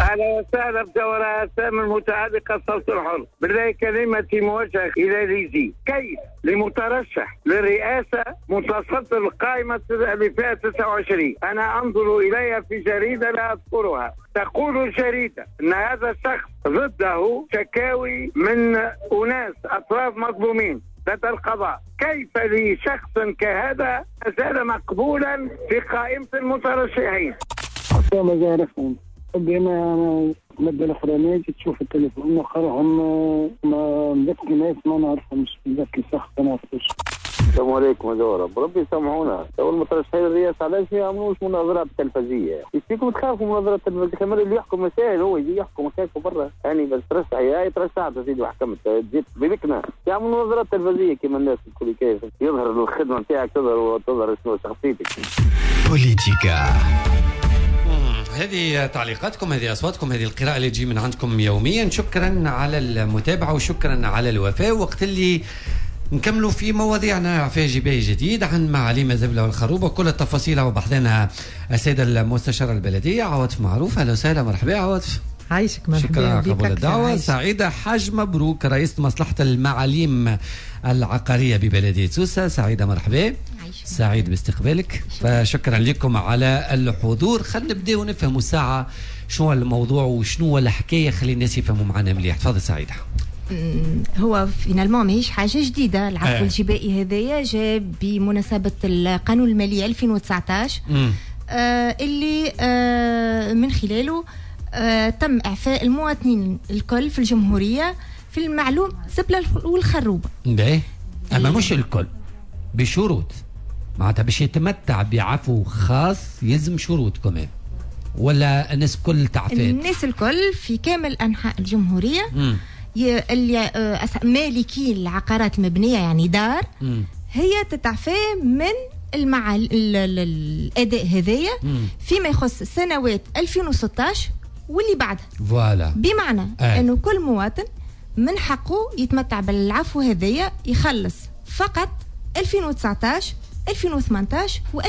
أهلا وسهلا بجوهرة سام المتعلقة الصوت الحر. بالله كلمتي موجهة إلى ليزي، كيف لمترشح للرئاسة متصدر القائمة اللي فيها 29، أنا أنظر إليها في جريدة لا أذكرها، تقول الجريدة أن هذا الشخص ضده شكاوي من أناس أطراف مظلومين لدى القضاء، كيف لشخص كهذا زال مقبولا في قائمة المترشحين؟ أنا المادة الأخرانية تشوف التليفون آخرهم ما ذاك الناس ما نعرفهمش، ذاك الشخص ما نعرفوش. السلام عليكم يا جوهرة، بربي سامحونا، تو المترشحين الرئاسة علاش ما يعملوش مناظرات تلفزية؟ ايش فيكم تخافوا مناظرات تلفزية؟ كمان اللي يحكم مسائل هو يجي يحكم مسائل برا، يعني بس ترشح يا ترشحت سيدي وحكمت جيت بلكنا، يعملوا مناظرات تلفزية كيما الناس الكل، كيف يظهر الخدمة نتاعك تظهر وتظهر شنو شخصيتك. بوليتيكا. هذه تعليقاتكم، هذه أصواتكم، هذه القراءة اللي تجي من عندكم يوميا. شكرا على المتابعة وشكرا على الوفاء. وقت اللي نكملوا في مواضيعنا في جباي جديد عن معاليم الزبلة والخروبة كل التفاصيل وبحثنا السيدة المستشارة البلدية عواطف معروف. أهلا وسهلا، مرحبا عواطف. عايشك، مرحبا. شكرا على قبول الدعوة. سعيدة حاج مبروك رئيسة مصلحة المعاليم العقارية ببلدية سوسة. سعيدة مرحبا، سعيد باستقبالك، فشكرا لكم على الحضور. خلينا نبداو نفهموا ساعة شنو الموضوع وشنو الحكاية، خلي الناس يفهموا معنا مليح. تفضل سعيدة. هو finalement ماهيش حاجة جديدة، العفو الجبائي هذايا جاء بمناسبة القانون المالي 2019 اللي من خلاله تم إعفاء المواطنين الكل في الجمهورية في المعلوم زبلة والخروبة. باهي، أما مش الكل، بشروط. معناتها باش يتمتع بعفو خاص يلزم شروط كمان، ولا الناس الكل تعفات؟ الناس الكل في كامل أنحاء الجمهورية اللي مالكي العقارات المبنية يعني دار هي تتعفى من الأداء هذايا فيما يخص سنوات 2016 واللي بعدها. voilà، بمعنى أنه كل مواطن من حقه يتمتع بالعفو هذايا، يخلص فقط 2019 2018 و2017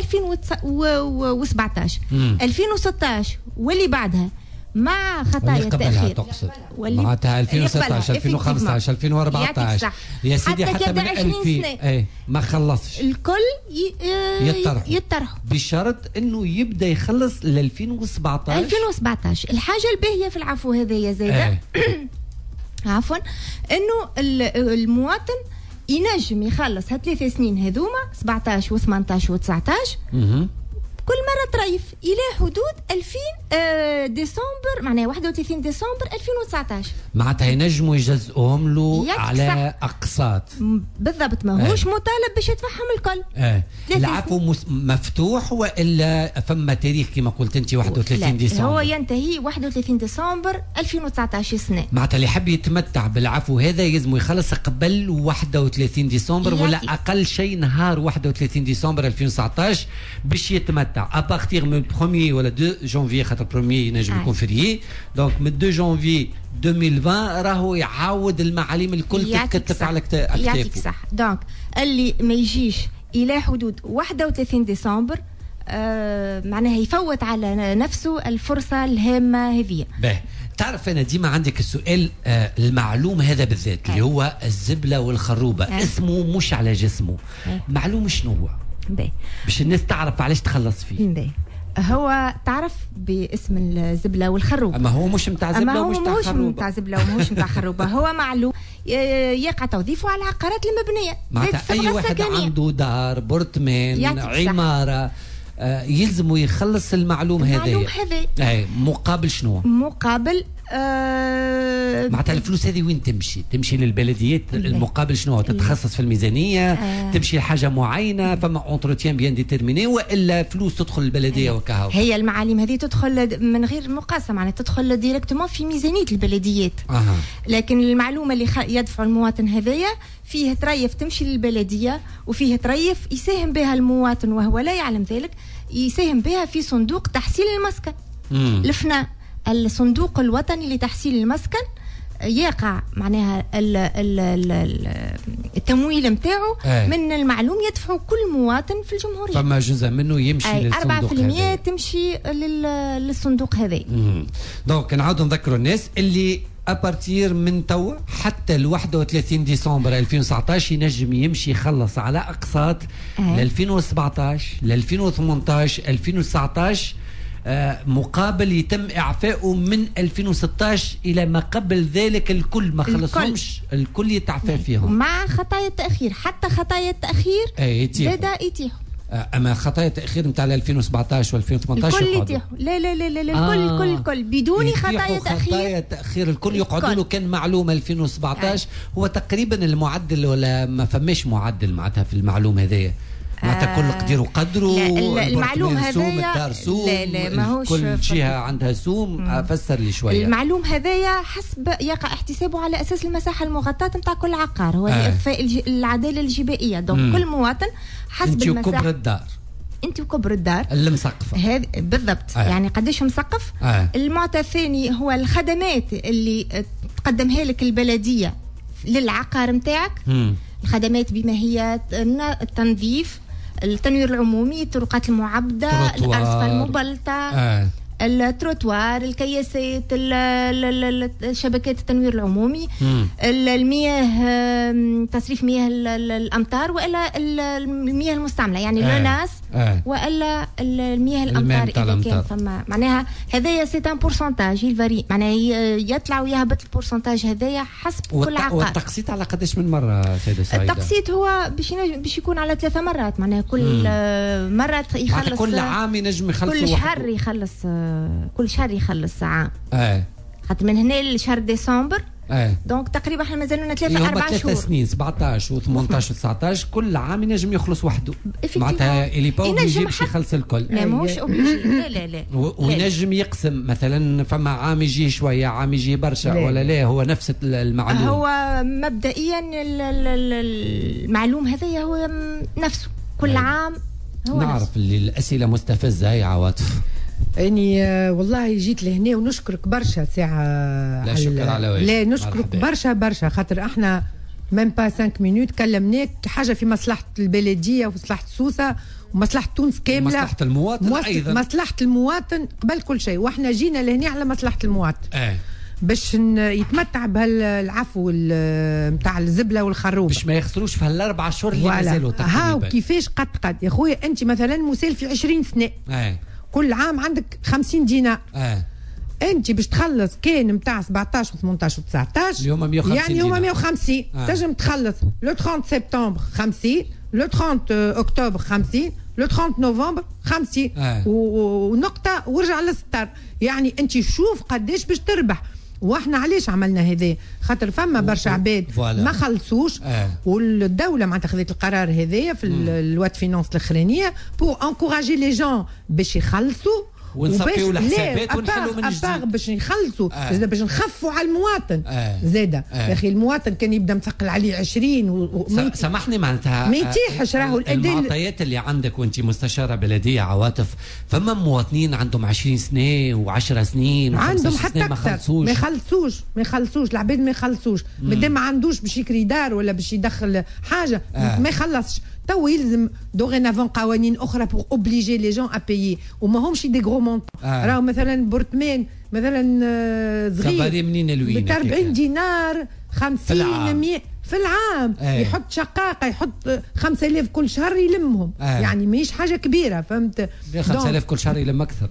2016 واللي بعدها مع خطايا التأخير. تقصد معناتها 2016 2015 2014 يا سيدي، حتى من 2000 ايه ما خلصش الكل يطرحوا بشرط انه يبدا يخلص ل 2017. 2017 الحاجة الباهيه في العفو هذا يا زايدة عفوا، انه المواطن ينجم يخلص هالثلاث سنين هذوما 17 و18 و19 كل مرة تريف الى حدود 2000 ديسمبر، معناها 31 ديسمبر 2019. معناتها ينجموا يجزئوهم له على اقساط. بالضبط، ماهوش مطالب باش يدفعهم الكل. العفو مفتوح والا فما تاريخ كما قلت انت 31 ديسمبر؟ هو ينتهي 31 ديسمبر 2019 سنة. معناتها اللي يحب يتمتع بالعفو هذا يلزم يخلص قبل 31 ديسمبر ولا اقل شيء نهار 31 ديسمبر 2019 باش يتمتع. à partir من 1 ولا 2 جانفي، خاطر 1 ينجم يكون férié، donc من 2 جانفي 2020 راهو يعاود المعاليم الكل تتكتف على اكتافه. يعطيك صح. donc اللي ما يجيش الى حدود 31 ديسمبر معناها يفوت على نفسه الفرصة الهامة هذه. باهي، تعرف انا ديما عندك السؤال المعلوم هذا بالذات اللي هو الزبله والخروبه، اسمه مش على جسمه، معلوم شنو هو؟ باش الناس تعرف علاش تخلص فيه. باهي. هو تعرف باسم الزبله والخروبه، اما هو مش نتاع زبله ومش نتاع خروبه. مش نتاع زبله ومش نتاع خروبه، هو معلوم يقع توظيفه على العقارات المبنية. معناتها اي واحد عنده دار، برطمان، عمارة، يلزم يخلص المعلوم هذا. المعلوم هذا اي مقابل شنو؟ مقابل معناتها الفلوس هذه وين تمشي؟ تمشي للبلديات، المقابل شنو؟ تتخصص في الميزانية، تمشي لحاجة معينة، فما entretien bien déterminé، والا فلوس تدخل البلدية وكهو؟ هي المعالم هذه تدخل من غير مقاسمه، معناتها تدخل directement في ميزانية البلديات. لكن المعلومة اللي يدفع المواطن هذايا فيه تريف تمشي للبلديه، وفيه تريف يساهم بها المواطن وهو لا يعلم ذلك، يساهم بها في صندوق تحصيل المسكن. الفنا الصندوق الوطني لتحصيل المسكن يقع معناها التمويل نتاعو من المعلوم يدفعه كل مواطن في الجمهورية. فما جزء منه يمشي للصندوق 4% تمشي للصندوق هذا. donc نعاودوا نذكروا الناس اللي à partir من توا حتى ال 31 ديسمبر 2019 ينجم يمشي يخلص على اقساط ل 2017 ل 2018 2019، مقابل يتم اعفائه من 2016 الى ما قبل ذلك. الكل ما خلصهمش الكل يتعفى فيهم مع خطايا التاخير، حتى خطايا التاخير زاد يتيحوا. اما خطايا التاخير نتاع 2017 و2018 الكل يتيحوا. لا لا لا لا، الكل الكل بدون خطايا تاخير. خطايا التاخير الكل يقعدوا له كان معلومة 2017. هو تقريبا المعدل ولا ما فماش معدل معناتها في المعلومة هذايا؟ معناتها كل قدير وقدره. المعلوم هذايا الدار سوم، لا لا ماهوش كل جهة عندها سوم. فسر لي شوية. المعلوم هذايا حسب يقع احتسابه على اساس المساحة المغطاه نتاع كل عقار، هو لاخفاء العدالة الجبائيه. donc كل مواطن حسب المساحة. انت وكبر الدار، انت وكبر الدار اللي مسقفه هذا بالضبط. يعني قداش مسقف. المعطى الثاني هو الخدمات اللي تقدمها لك البلدية للعقار نتاعك. الخدمات بما هي التنظيف، التنوير العمومي، الطرقات المعبدة، الأرصفة المبلطة، التروتوار، الكياسات، شبكات التنوير العمومي، المياه، تصريف مياه الأمطار وإلا المياه المستعملة، يعني l'ONAS وإلا المياه الأمطار إذا كان فما. معناها هذايا c'est un pourcentage il varie، معناها يطلع ويهبط ال pourcentage هذايا حسب كل عقار. والتقسيط على قداش من مرة سيدة سعيدة؟ التقسيط هو باش يكون على 3 مرات، معناها كل مرة يخلص، كل عام ينجم يخلص، كل شهر يخلص، كل شهر يخلص عام. خاطر من هنا لشهر ديسمبر. donc تقريبا احنا مازالنا 3 4 شهور، 3 سنين 17 و18 و19 كل عام ينجم يخلص وحده. معناتها il est pas obligé باش يخلص الكل. لا ماهوش obligé، لا لا لا. وينجم يقسم مثلا، فما عام يجي شوية، عام يجي برشا، ولا لا هو نفس المعلوم؟ هو مبدئيا المعلوم هذايا هو نفسه كل عام هو نعرف نفسه. اللي الاسئلة مستفزة يا عواطف. اني والله جيت لهنا ونشكرك برشا ساعة. لا شكر على واجب. لا نشكرك برشا برشا، خاطر احنا même pas 5 minutes كلمناك حاجة في مصلحة البلدية ومصلحه سوسة ومصلحه تونس كاملة، مصلحة المواطن ايضا، مصلحة المواطن قبل كل شيء، واحنا جينا لهنا على مصلحة المواطن باش يتمتع بهالعفو نتاع الزبله والخروبه، باش ما يخسروش في هالاربع شهور اللي مازالوا تقريبا. ها وكيفاش قد يا خويا انت مثلا مسال في 20 سنة، كل عام عندك 50 دينار. انت باش تخلص كان نتاع 17 و 18 و 19 اليوم 150، يعني هما 150. تنجم تخلص le 30 سبتمبر 50، le 30 اكتوبر 50، le 30 نوفمبر 50 ونقطة ورجع للسطر. يعني انت شوف قداش باش تربح. واحنا علاش عملنا هذا؟ خاطر فما برشا عباد ما خلصوش. والدولة معناتها خذت القرار هذايا في ال loi de finances الاخرانية pour encourager les gens باش يخلصوا ونصفيو الحسابات ونحلوا من جديد باش نخلصوا زاد باش نخفوا على المواطن زاده. يا اخي المواطن كان يبدا مثقل عليه 20 سامحني معناتها ما يتيحش راهو الاداء. المعطيات اللي عندك وانت مستشاره بلديه عواطف، فما مواطنين عندهم 20 سنة و10 سنين عندهم حتى اكثر ما يخلصوش، ما يخلصوش العباد، ما يخلصوش مادام ما عندوش باش يكري دار ولا باش يدخل حاجة ما يخلصش. تو يلزم dorénavant قوانين اخرى pour obliger les gens à payer، وما همش des gros montants. راهو مثلا appartement مثلا صغير منين ب 40 دينار 50 100 في العام. يحط شقاقه يحط 5000 كل شهر يلمهم. يعني ماهيش حاجة كبيرة، فهمت؟ 5000 كل شهر يلم اكثر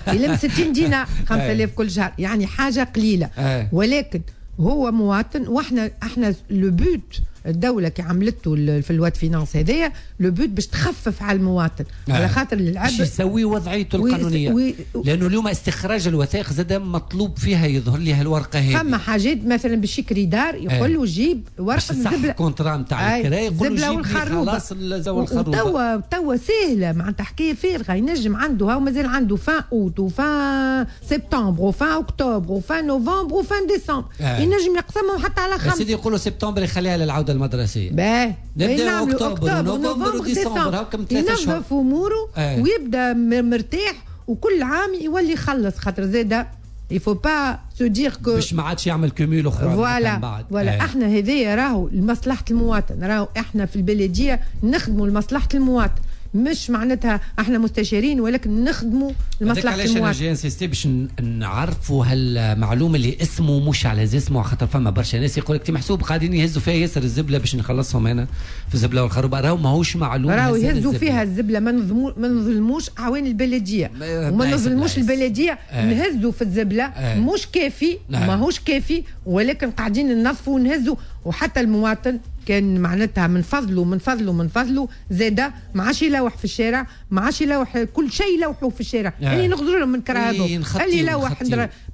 يلم 60 دينار 5000 كل شهر، يعني حاجة قليله. ولكن هو مواطن، واحنا احنا le but الدولة كي عملته في ال loi de finances هذايا le but باش تخفف على المواطن. على خاطر العبد باش يسوي وضعيته القانونية لانه اليوم استخراج الوثائق زاد مطلوب فيها يظهر لي هالورقه هذه. فما حاجات مثلا باش يكري دار يقول له جيب ورقة الزبله، contrat نتاع الكراء يقول له جيب خلاص الخروبه. توا سهلة معناتها حكاية فارغة، ينجم عنده هاو مازال عنده fin août و fin سبتمبر و fin اكتوبر و fin نوفمبر و fin ديسمبر. ينجم يقسمهم حتى على خمسة. سيدي يقولوا سبتمبر يخليها للعودة المدرسية. باهي نبداو اكتوبر ونوفمبر وديسمبر هاكم 3 شهور ينظف اموره ويبدا مرتاح، وكل عام يولي يخلص خاطر زاده il faut pas se dire que باش ما عادش يعمل cumul اخرى. voilà voilà. احنا هذايا راهو لمصلحة المواطن، راهو احنا في البلدية نخدموا لمصلحة المواطن، مش معناتها احنا مستشارين ولكن نخدموا لمصلحة المواطن. علاش انا j'ai insisté باش نعرفوا هالمعلومه اللي اسمه مش على اسمه، خاطر فما برشا ناس يقول لك محسوب قاعدين يهزوا فيها ياسر الزبله باش نخلصهم انا في الزبله والخروبه. راهو ماهوش معلومة، راهو يهزوا فيها الزبله. ما نظلموش اعوان البلدية وما نظلموش البلدية. نهزوا في الزبله مش كافي، ماهوش كافي، ولكن قاعدين ننظفوا ونهزوا. وحتى المواطن كان معناتها من فضله من فضله من فضله زاده ما عادش يلوح في الشارع، ما عادش يلوح كل شيء يلوحوه في الشارع. اللي نغزروا لهم من كراهبهم اللي يلوح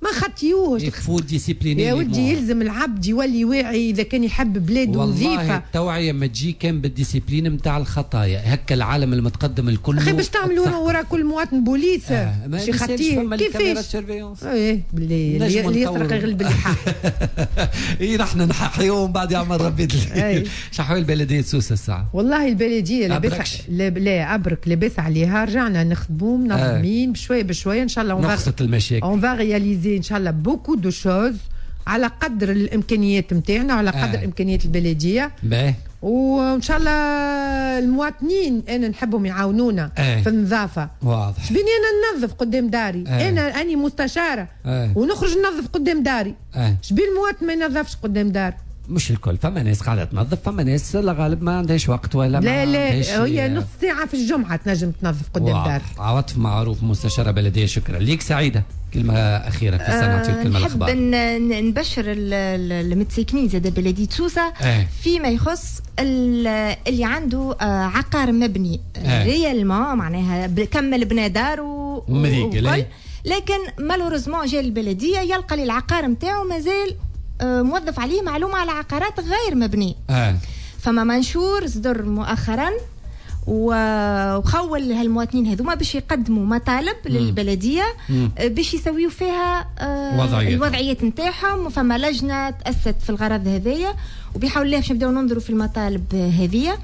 ما خطيوهش. il faut discipliner يا ولدي، يلزم العبد يولي واعي اذا كان يحب بلاده نظيفة. والله التوعية ما تجي كان بال discipline نتاع الخطايا، هكا العالم المتقدم الكل. اخي باش تعملوا ورا كل مواطن بوليس باش يخطيه كيفاش؟ ايه اللي يسرق يغلب اللحاح. اي نحن نحيوهم ومن بعد يعمل ربي. شحوال بلدية سوسة الساعة؟ والله البلدية لاباس، لا أبرك لاباس عليها، رجعنا نخدموا منظمين بشوية بشوية إن شاء الله. نقصت المشاكل. on va réaliser إن شاء الله beaucoup de choses على قدر الإمكانيات نتاعنا وعلى قدر إمكانيات البلدية. باهي. وان شاء الله المواطنين انا نحبهم يعاونونا في النظافة. واضح. شبيني انا ننظف قدام داري. انا اني مستشاره ونخرج ننظف قدام داري. شبي المواطن ما ينظفش قدام دار؟ مش الكل، فما ناس قاعدة تنظف، فما ناس لا غالب ما عندهاش وقت ولا لا لا هي نص ساعة في الجمعة تنجم تنظف قدام دارك. عواطف معروف مستشاره بلديه، شكرا ليك. سعيدة، كلمة اخيرة في السنة نعطيك كلمة الاخبار. نحب نبشر المتساكنين زاد بلديه سوسة فيما يخص اللي عنده عقار مبني réellement، معناها كمل بنى دار وكل، لكن malheureusement جا البلدية يلقى العقار نتاعو مازال موظف عليه معلومة على عقارات غير مبنية. فما منشور صدر مؤخرا وخول هالمواطنين هذوما باش يقدموا مطالب للبلدية باش يسويوا فيها الوضعيات نتاعهم، وفما لجنة تأسست في الغرض هذايا، وبحول الله باش نبداو ننظروا في المطالب هذيا.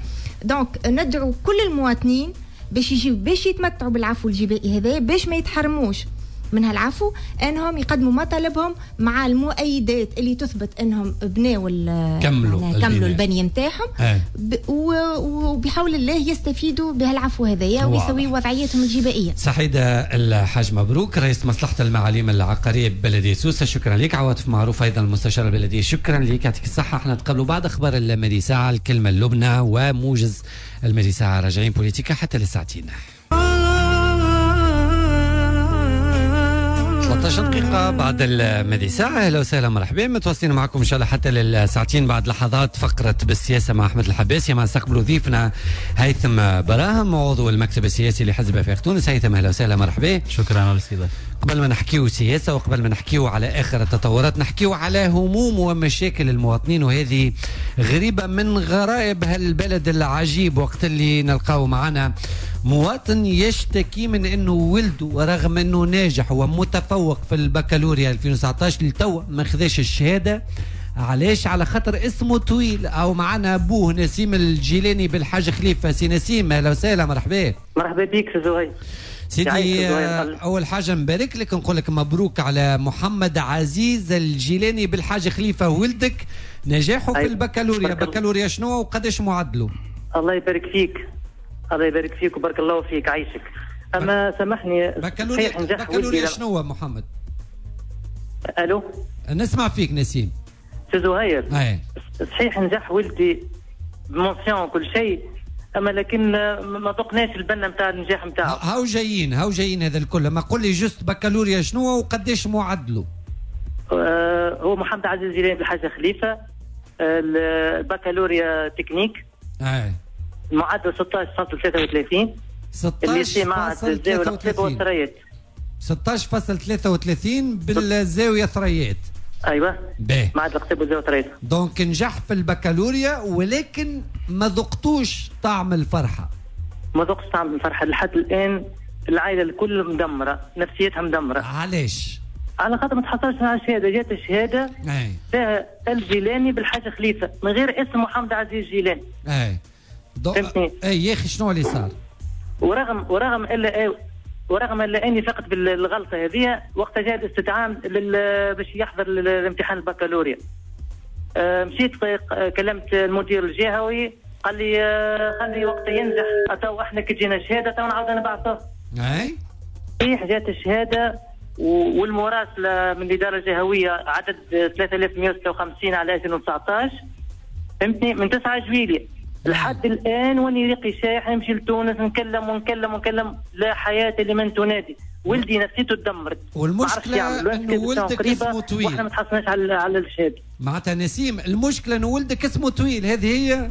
donc ندعو كل المواطنين باش يجيو باش يتمتعوا بالعفو الجبائي هذايا، باش ما يتحرموش من هالعفو، انهم يقدموا مطالبهم مع المؤيدات اللي تثبت انهم بناو كملوا البنية نتاعهم، وبحول الله يستفيدوا بهالعفو هذايا ويسويوا وضعيتهم الجبائيه. سعيدة الحاج مبروك رئيس مصلحة المعاليم العقارية ببلديه سوسة، شكرا لك. عواطف معروف ايضا المستشار البلدية، شكرا لك، يعطيك الصحة. احنا نتقابلوا بعد اخبار المدي ساعة، الكلمة اللبنى وموجز المدي ساعة، راجعين بوليتيكا حتى للساعتين. 13 دقيقة بعد الماضي ساعة. أهلا وسهلا، مرحبا، متواصلين معكم إن شاء الله حتى للساعتين. بعد لحظات فقرة بالسياسة مع أحمد الحباسي، مع نستقبل ضيفنا هيثم براهم عضو المكتب السياسي لحزب آفاق تونس. هيثم أهلا وسهلا، مرحبا. شكرا على الاستضافة. قبل ما نحكيو سياسة وقبل ما نحكيو على آخر التطورات، نحكيو على هموم ومشاكل المواطنين، وهذه غريبة من غرائب هالبلد العجيب. وقت اللي نلقاو معنا مواطن يشتكي من انه ولده ورغم انه ناجح ومتفوق في البكالوريا 2019 لتو ما خذاش الشهادة. علاش؟ على خاطر اسمه طويل. او معنا ابوه نسيم الجيلاني بالحاج خليفة. سي نسيم اهلا وسهلا، مرحبا. مرحبا بك سي زهير. سيدي اول حاجة نبارك لك، نقول لك مبروك على محمد عزيز الجيلاني بالحاج خليفة ولدك نجاحه في البكالوريا. بكالوريا شنو وقداش معدله؟ الله يبارك فيك، الله يبارك فيك وبارك الله فيك، عايشك. اما سامحني، بكالوريا شنو محمد؟ الو، نسمع فيك نسيم. سي زهير، صحيح نجح ولدي ب mention وكل شيء، اما لكن ما ذقناش البنه نتاع النجاح نتاعو. هاو جايين، هاو جايين هذا الكل. ما قول لي juste بكالوريا شنو وقداش معدله؟ هو محمد عزيز جيلاني بالحاجة خليفة، البكالوريا تكنيك. المعدل 16.33. 16.33 16.33 بالزاوية ثريات. ايوه معهد القصيب والزاويه ثريات. donc نجح في البكالوريا ولكن ما ذقتوش طعم الفرحة. ما ذقتش طعم الفرحة لحد الان. العائلة الكل مدمرة، نفسيتها مدمرة. علاش؟ على خاطر ما تحصلش على الشهادة. جات الشهادة فيها الجيلاني بالحاجة خليفة من غير اسم محمد عزيز الجيلاني. اي فهمتني؟ اي يا اخي شنو اللي صار؟ ورغم الا اني فقت بالغلطه هذه وقت جاء الاستدعاء باش يحضر الامتحان البكالوريا. مشيت كلمت المدير الجهوي، قال لي خلي وقت ينجح تو احنا كي تجينا الشهادة تو نعاود نبعثوه. اي صحيح جات الشهادة والمراسله من الادارة الجهوية عدد 3156 على 2019، فهمتني، من 9 جويلية لحد الان واني ريقي شايح. نمشي لتونس نكلم ونكلم ونكلم، لا حياة لمن تنادي. ولدي نفسيته تدمرت. والمشكلة انه ولدك اسمه طويل واحنا ما تحصلناش على الشهادة. معناتها نسيم المشكلة انه ولدك اسمه طويل، هذه هي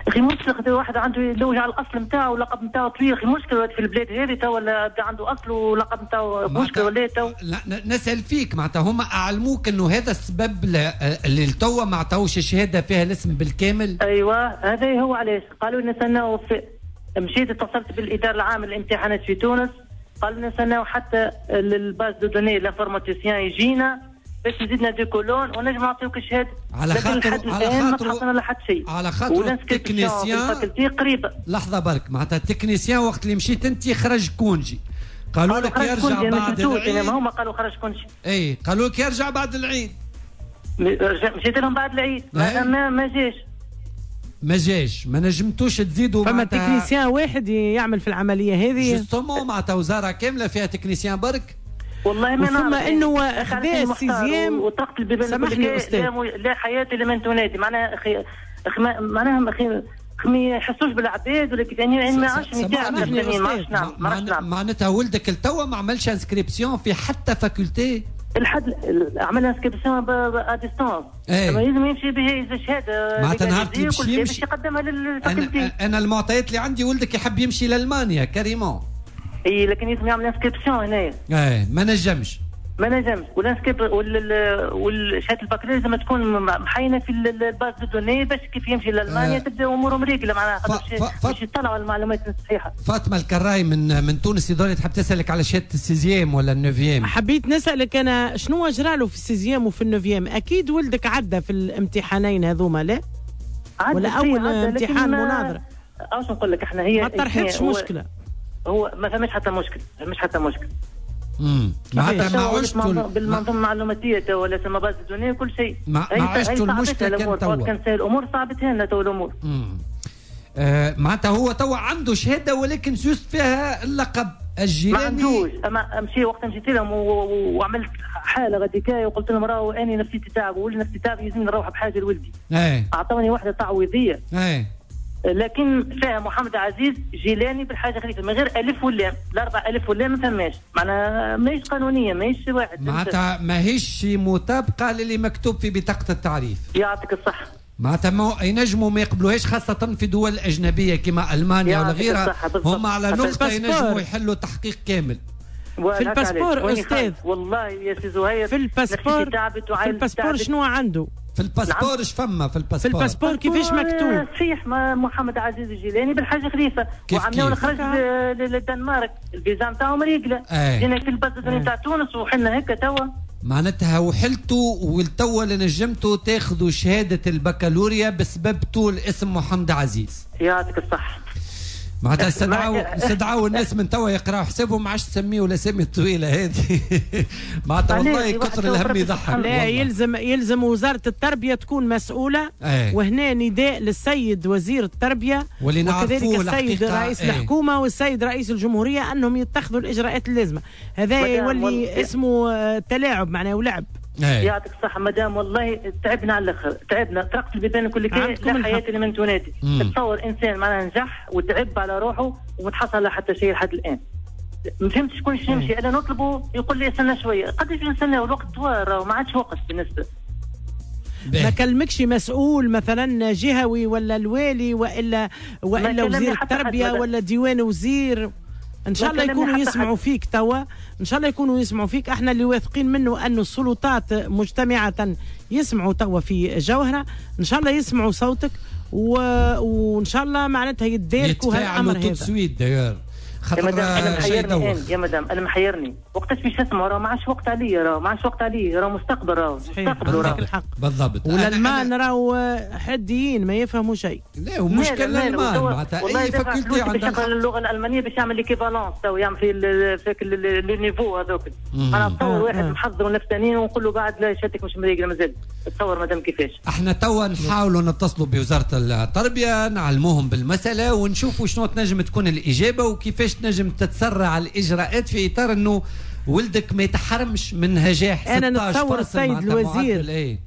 اخي مشكلة. واحد عنده يلوج على الاصل نتاعو واللقب نتاعو طويل. اخي مشكلة في البلاد هذه تو ولا عنده اصل ولقب نتاعو مشكلة ولا تو. نسال فيك معناتها هما اعلموك انه هذا السبب اللي توا ما عطاوش الشهادة فيها الاسم بالكامل؟ ايوه هذا هو. علاش قالوا لنا نستناو. مشيت اتصلت بالادارة العامة للامتحانات في تونس، قالوا لنا نستناو حتى ال base de données l'informaticien يجينا باش يزيدنا deux colonnes ونجم نعطيوك الشهادة. على خاطر على خاطر ما حتى شيء، على خاطر ال technicien قريبه. لحظة برك، معناتها ال technicien وقت اللي مشيت انت خرج congé، قالوا لك يرجع بعد العيد. ما هما قالوا خرج congé. اي قالوا لك يرجع بعد العيد. مشيت لهم بعد العيد ما جاش. ما جاش، ما نجمتوش تزيدوا. فما technicien واحد يعمل في العملية هذه justement، معناتها وزارة كاملة فيها technicien برك. والله ما نعرف. ثم انه خذا ال sixième وطرقت البيبان. سامحني استاذ، لا حياة لمن تنادي. معناها اخي معناها اخي ما يحسوش بالعباد ولا كيف يعني، ما عادش ما معناتها ولدك التوا ما عملش inscription في حتى faculté؟ الحد عمل inscription à distance. لازم يمشي به الشهادة معناتها نهار اللي باش يقدمها لل faculté. انا المعطيات اللي عندي ولدك يحب يمشي لالمانيا carrément. اي لكن لازم يعمل inscription هنايا. اي ما نجمش. ما نجمش. وال inscrip والشهادة البكالوريا لازم تكون محينه في ال base de données باش كيف يمشي لالمانيا تبدا اموره مريقله معناها باش يطلعوا المعلومات الصحيحة. فاطمة الكراي من تونس يظل تحب تسالك على شهادة ال sixième ولا ال neuvième. حبيت نسالك انا شنو جرى له في ال sixième وفي ال neuvième؟ اكيد ولدك عدى في الامتحانين هذوما لا؟ ولا اول امتحان مناظرة؟ اش نقول لك احنا هي ما طرحتش مشكلة. هو ما فماش حتى مشكل، ما فماش حتى مشكل. معناتها ما عشتوا بالمنظومه المعلوماتيه تو ولا سما base de données كل شيء. ما عشتوا المشكلة كان توا. كان سهل الامور صعبتها لنا تو الامور. معناتها هو توا عنده شهادة ولكن juste فيها اللقب الجيلاني. ما عندوش. اما مشي وقت مشيت لهم وعملت حاله غاديكايه وقلت لهم راهو اني نفسيتي تعب وولدي نفسيتي تعب لازم نروح بحاجة لولدي. اعطوني واحدة تعويضيه. لكن فيها محمد عزيز جيلاني بالحاجة خليفة من غير الف واللام، الاربع الف واللام ما فماش، معناها ماهيش قانونية، ماهيش واحد، معناتها ماهيش مطابقه للي مكتوب في بطاقة التعريف. يعطيك الصحة. معناتها ما ينجموا ما يقبلوهاش، خاصة في دول أجنبية كما ألمانيا ولا غيرها، هم على نقطة ينجموا يحلوا تحقيق كامل. في ال passeport أستاذ، والله يا سي زهير، في ال passeport، في ال passeport شنو عنده؟ في ال passeport اش فما في ال passeport؟ في ال passeport كيفاش مكتوب؟ صحيح، محمد عزيز الجيلاني بالحاجة خليفة، وعملوا خرج للدنمارك، الفيزا نتاعهم ريقلة، جينا في ال base نتاع تونس وحنا هكا توا. معناتها وحلتوا والتوا اللي نجمتوا تاخذوا شهادة البكالوريا بسبب طول اسم محمد عزيز. يعطيك الصحة. معناتها استدعوا الناس من توا يقراوا حسابهم، ما عادش تسميوا الاسامي الطويلة هذه. معناتها والله كثر الهم يضحك. لا، يلزم وزارة التربية تكون مسؤولة. وهنا نداء للسيد وزير التربية وكذلك السيد رئيس الحكومة والسيد رئيس الجمهورية أنهم يتخذوا الإجراءات اللازمة. هذا يولي اسمه تلاعب، معناه ولعب. يعطيك الصحة مدام، والله تعبنا على الآخر، تعبنا، طرقت البيبان كل كي لا حياة لمن تنادي. تصور إنسان معناها نجح وتعب على روحه ومتحصل حتى شيء لحد الآن. ما فهمتش شكون نمشي، أنا نطلبه يقول لي استنى شوية، قداش نستنى؟ الوقت طوال وما عادش وقت بالنسبة. ما كلمكش مسؤول مثلا جهوي ولا الوالي وإلا وزير التربية ولا ديوان وزير؟ ان شاء الله يكونوا يسمعوا فيك توا، ان شاء الله يكونوا يسمعوا فيك. احنا اللي واثقين منه انه السلطات مجتمعه يسمعوا توا في جوهره، ان شاء الله يسمعوا صوتك وان شاء الله معناتها يتداركوا هالامر هذا. يتفاعلوا خاطر انا محيرني يا مدام، انا محيرني وقتاش باش نسمعوا؟ راه ما عادش وقت عليا، راه ما عادش وقت عليا، راه مستقبل، راه مستقبل، راه بالضبط. والالمان راهو حديين ما يفهموا شيء. لا، ومشكل الالمان معناتها اي faculté عندها اللغة الالمانية باش يعمل l'équivalence، تو يعمل في les niveaux هذوك. انا نتصور واحد محضر نفسانيا ونقول له بعد لا شهادتك مش مريقله مازال. تصور مدام كيفاش. احنا توا نحاولوا نتصلوا بوزارة التربية، نعلموهم بالمسالة ونشوفوا شنو تنجم تكون الاجابة وكيفاش تنجم تتسرع الاجراءات في اطار انه ولدك ما يتحرمش من نجاح. انا نتصور السيد الوزير،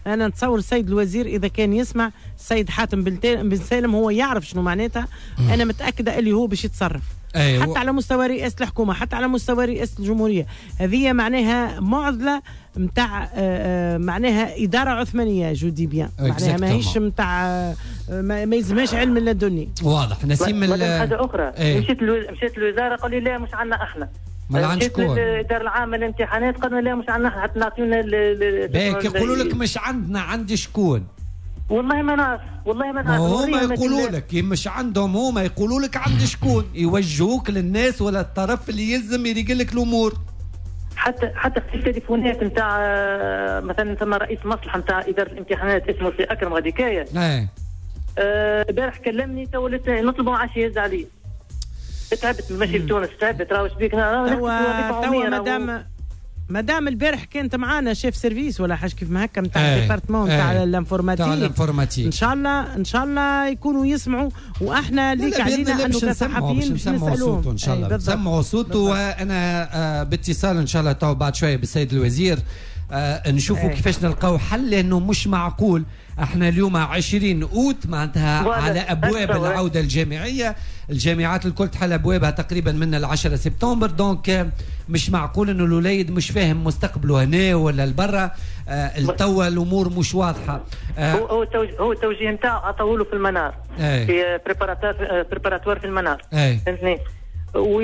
انا نتصور السيد الوزير اذا كان يسمع السيد حاتم بن سالم هو يعرف شنو معناتها. انا متاكدة اللي هو باش يتصرف. حتى على مستوى رئاسة الحكومة، حتى على مستوى رئاسة الجمهورية. هذه معناها معضلة نتاع معناها ادارة عثمانية، je dis bien، معناها ماهيش نتاع ما يلزمهاش علم لدني. واضح نسيم. حاجة اخرى، مشيت للوزارة قالوا لي لا مش عندنا احنا. ما عندش شكون؟ الادارة العامة للامتحانات قالوا لا مش عندنا احنا، حتى نعطيونا باك يقولوا لك مش عندنا، عندي شكون؟ والله ما نعرف، والله ما نعرف. هما يقولوا لك مش عندهم، هما يقولوا لك عند شكون، يوجهوك للناس ولا الطرف اللي يلزم يريق لك الامور. حتى في التليفونات نتاع مثلا ثم رئيس مصلحة نتاع ادارة الامتحانات اسمه سي اكرم غاديكايه. البارح كلمني تو نطلبه ما عادش يهز علي. تعبت من مشي لتونس، تعبت، راهو شبيك. توا مدام البارح كانت معانا chef service ولا حاجة كيف ما هكا نتاع ال département نتاع l'informatique. ان شاء الله يكونوا يسمعوا، واحنا ليك علينا انه كصحفيين باش نسالوهم صوته ان شاء الله. نسمعوا صوته، وانا باتصال ان شاء الله تو بعد شوية بالسيد الوزير نشوفوا كيفاش نلقاو حل، لانه مش معقول احنا اليوم 20 اوت معناتها على ابواب العودة الجامعية، الجامعات الكل تحل ابوابها تقريبا من 10 سبتمبر، donc مش معقول انه الوليد مش فاهم مستقبله هنا ولا لبرا. التوا الامور مش واضحة. هو التوجيه نتاعو عطاوله في المنار، في préparatoire في المنار، فهمتني؟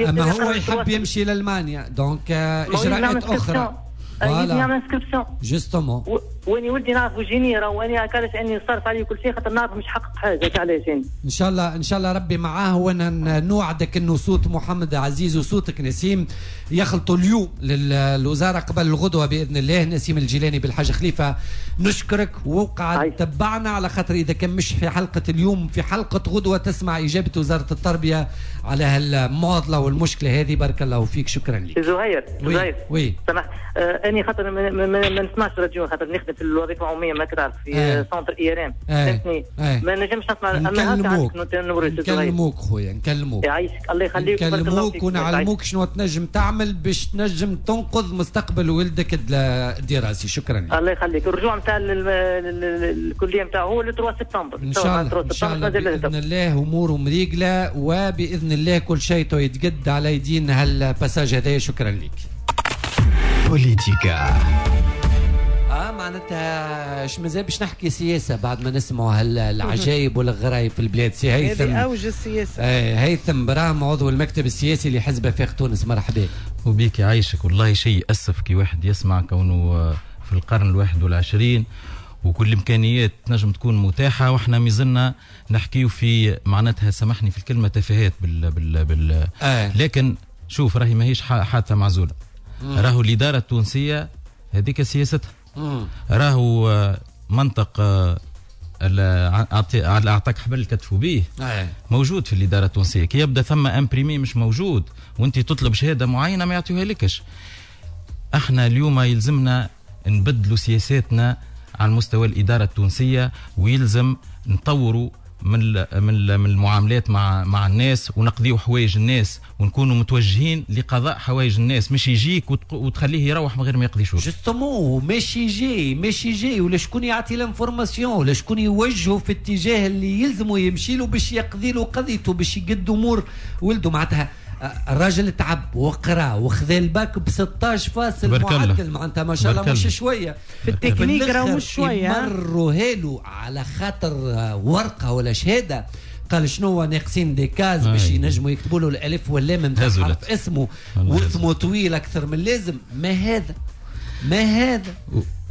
اما هو يحب يمشي لالمانيا، donc اجراءات اخرى. يعمل inscription justement. واني ولدي نعرف génie راه، واني علاش اني نصرف عليه كل شيء خاطر نعرف مش حقق حاجة علاش. ان شاء الله، ان شاء الله ربي معاه، وانا نوعدك انه صوت محمد عزيز وصوتك نسيم يخلطوا اليوم للوزارة قبل الغدوه باذن الله. نسيم الجيلاني بالحاج خليفة، نشكرك وقعد تبعنا على خاطر اذا كان مش في حلقة اليوم في حلقة غدوه تسمع اجابه وزارة التربية على هالمعضله والمشكلة هذه. بارك الله فيك، شكرا لك زهير. زهير oui سمحت، اني خاطر ما نسمعش راديو خاطر نخدم نخدم في الوظيفة العمومية، ما تعرف في centre IRM، فهمتني؟ ما نجمش نسمع. نكلموك خويا، نكلموك. يعيشك، الله يخليك. نكلموك ونعلموك شنو تنجم تعمل باش تنجم تنقذ مستقبل ولدك الدراسي. شكرا لك. الله يخليك. الرجوع نتاع الكلية نتاعو هو 3 سبتمبر ان شاء الله. ان شاء الله باذن الله اموره مريقله، وباذن الله كل شيء يتقد على يدين هال passage هذايا. شكرا لك. بوليتيكا معناتها اش مازال باش نحكي سياسة بعد ما نسمعوا هالعجايب والغرايب في البلاد. سي هيثم، هذه اوج السياسة. هيثم براهم عضو المكتب السياسي لحزب افاق تونس، مرحبا. وبيك يعيشك. والله شيء اسف كي واحد يسمع كونه في القرن 21 وكل الامكانيات تنجم تكون متاحة، واحنا مازلنا نحكيو في معناتها سامحني في الكلمة تفاهات بال بال بال لكن شوف راهي ماهيش حادثه معزولة. راهو الادارة التونسية هذيك سياستها. راهو منطق اعطاك حبل كتفوا به موجود في الادارة التونسية. كي يبدا ثم imprimé مش موجود وانت تطلب شهادة معينة ما يعطيوها لكش. احنا اليوم يلزمنا نبدلوا سياساتنا على مستوى الادارة التونسية، ويلزم نطوروا من المعاملات مع الناس، ونقضيو حوايج الناس، ونكونوا متوجهين لقضاء حوايج الناس، مش يجيك وتخليه يروح من غير ما يقضي شغل. justement ماشي جاي ولا شكون يعطي l'information، ولا شكون يوجهه في اتجاه اللي يلزمه يمشي له باش يقضي له قضيته، باش يقد امور ولده. معناتها الراجل تعب وقرا وخذا الباك ب 16 فاصل معدل، معناتها ما شاء الله مش شوية في التكنيك، راه مش شوية. مروا هالو على خاطر ورقة ولا شهادة، قال شنو ناقصين des cases باش ينجموا يكتبوا له الالف واللام نتاع حرف اسمه، واسمه طويل اكثر من اللازم. ما هذا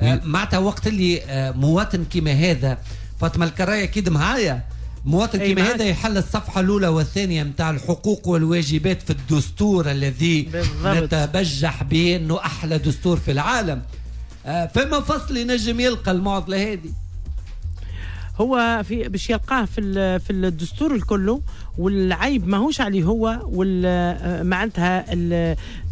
معناتها وقت اللي مواطن كيما هذا، فاطمة الكرايه اكيد معايا، مواطن كما هذا يحل الصفحة الأولى والثانية متاع الحقوق والواجبات في الدستور الذي نتبجح به أنه أحلى دستور في العالم، فما فصل ينجم يلقى المعضلة هذه؟ هو في باش يلقاه في الدستور الكله، والعيب ماهوش عليه هو، معناتها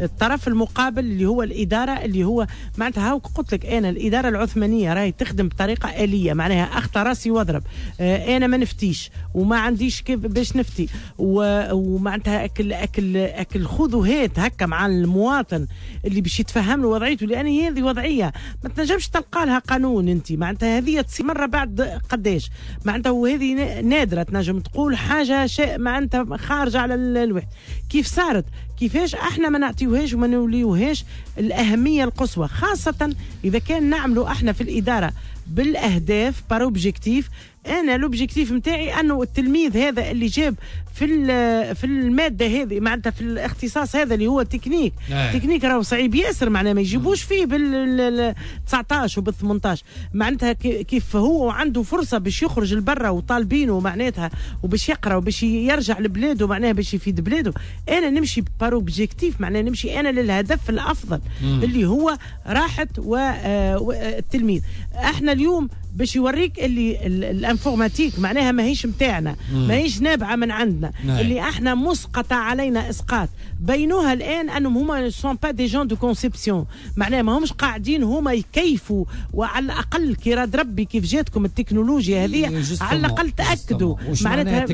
الطرف المقابل اللي هو الإدارة، اللي هو معناتها هاو قلت لك أنا الإدارة العثمانية راهي تخدم بطريقة آلية، معناها أخطى راسي واضرب، أنا ما نفتيش وما عنديش كيف باش نفتي، ومعناتها أكل أكل أكل خذ وهات هكا مع المواطن اللي باش يتفهم له وضعيته، لأن هذه وضعية ما تنجمش تلقى لها قانون أنت، معناتها هذه تصير مرة بعد قداش، معناتها وهذه نادرة تنجم تقول حاجة شيء معناتها خارجة على الوحدة. كيف صارت؟ كيفاش احنا ما نعطيوهاش وما نوليوهاش الأهمية القصوى، خاصة إذا كان نعملوا احنا في الإدارة بالأهداف par objectif. أنا l'objectif نتاعي أنه التلميذ هذا اللي جاب في المادة هذه، معناتها في الاختصاص هذا اللي هو technique، technique راهو صعيب ياسر، معناها ما يجيبوش فيه بال 19 وبال 18، معناتها كيف هو عنده فرصة باش يخرج لبرا وطالبينه معناتها وباش يقرا وباش يرجع لبلاده، معناها باش يفيد بلاده. أنا نمشي par objectif، معناها نمشي أنا للهدف الأفضل اللي هو راحة والتلميذ. احنا اليوم باش يوريك اللي ال informatique معناها ماهيش متاعنا، ماهيش نابعة من عندنا، اللي احنا مسقطه علينا اسقاط. بينوها الان انهم هما sont pas des gens de conception، معناها ما همش قاعدين هما يكيفوا، وعلى الاقل كي راد ربي كيف جاتكم التكنولوجيا هذه على الاقل تاكدوا معناتها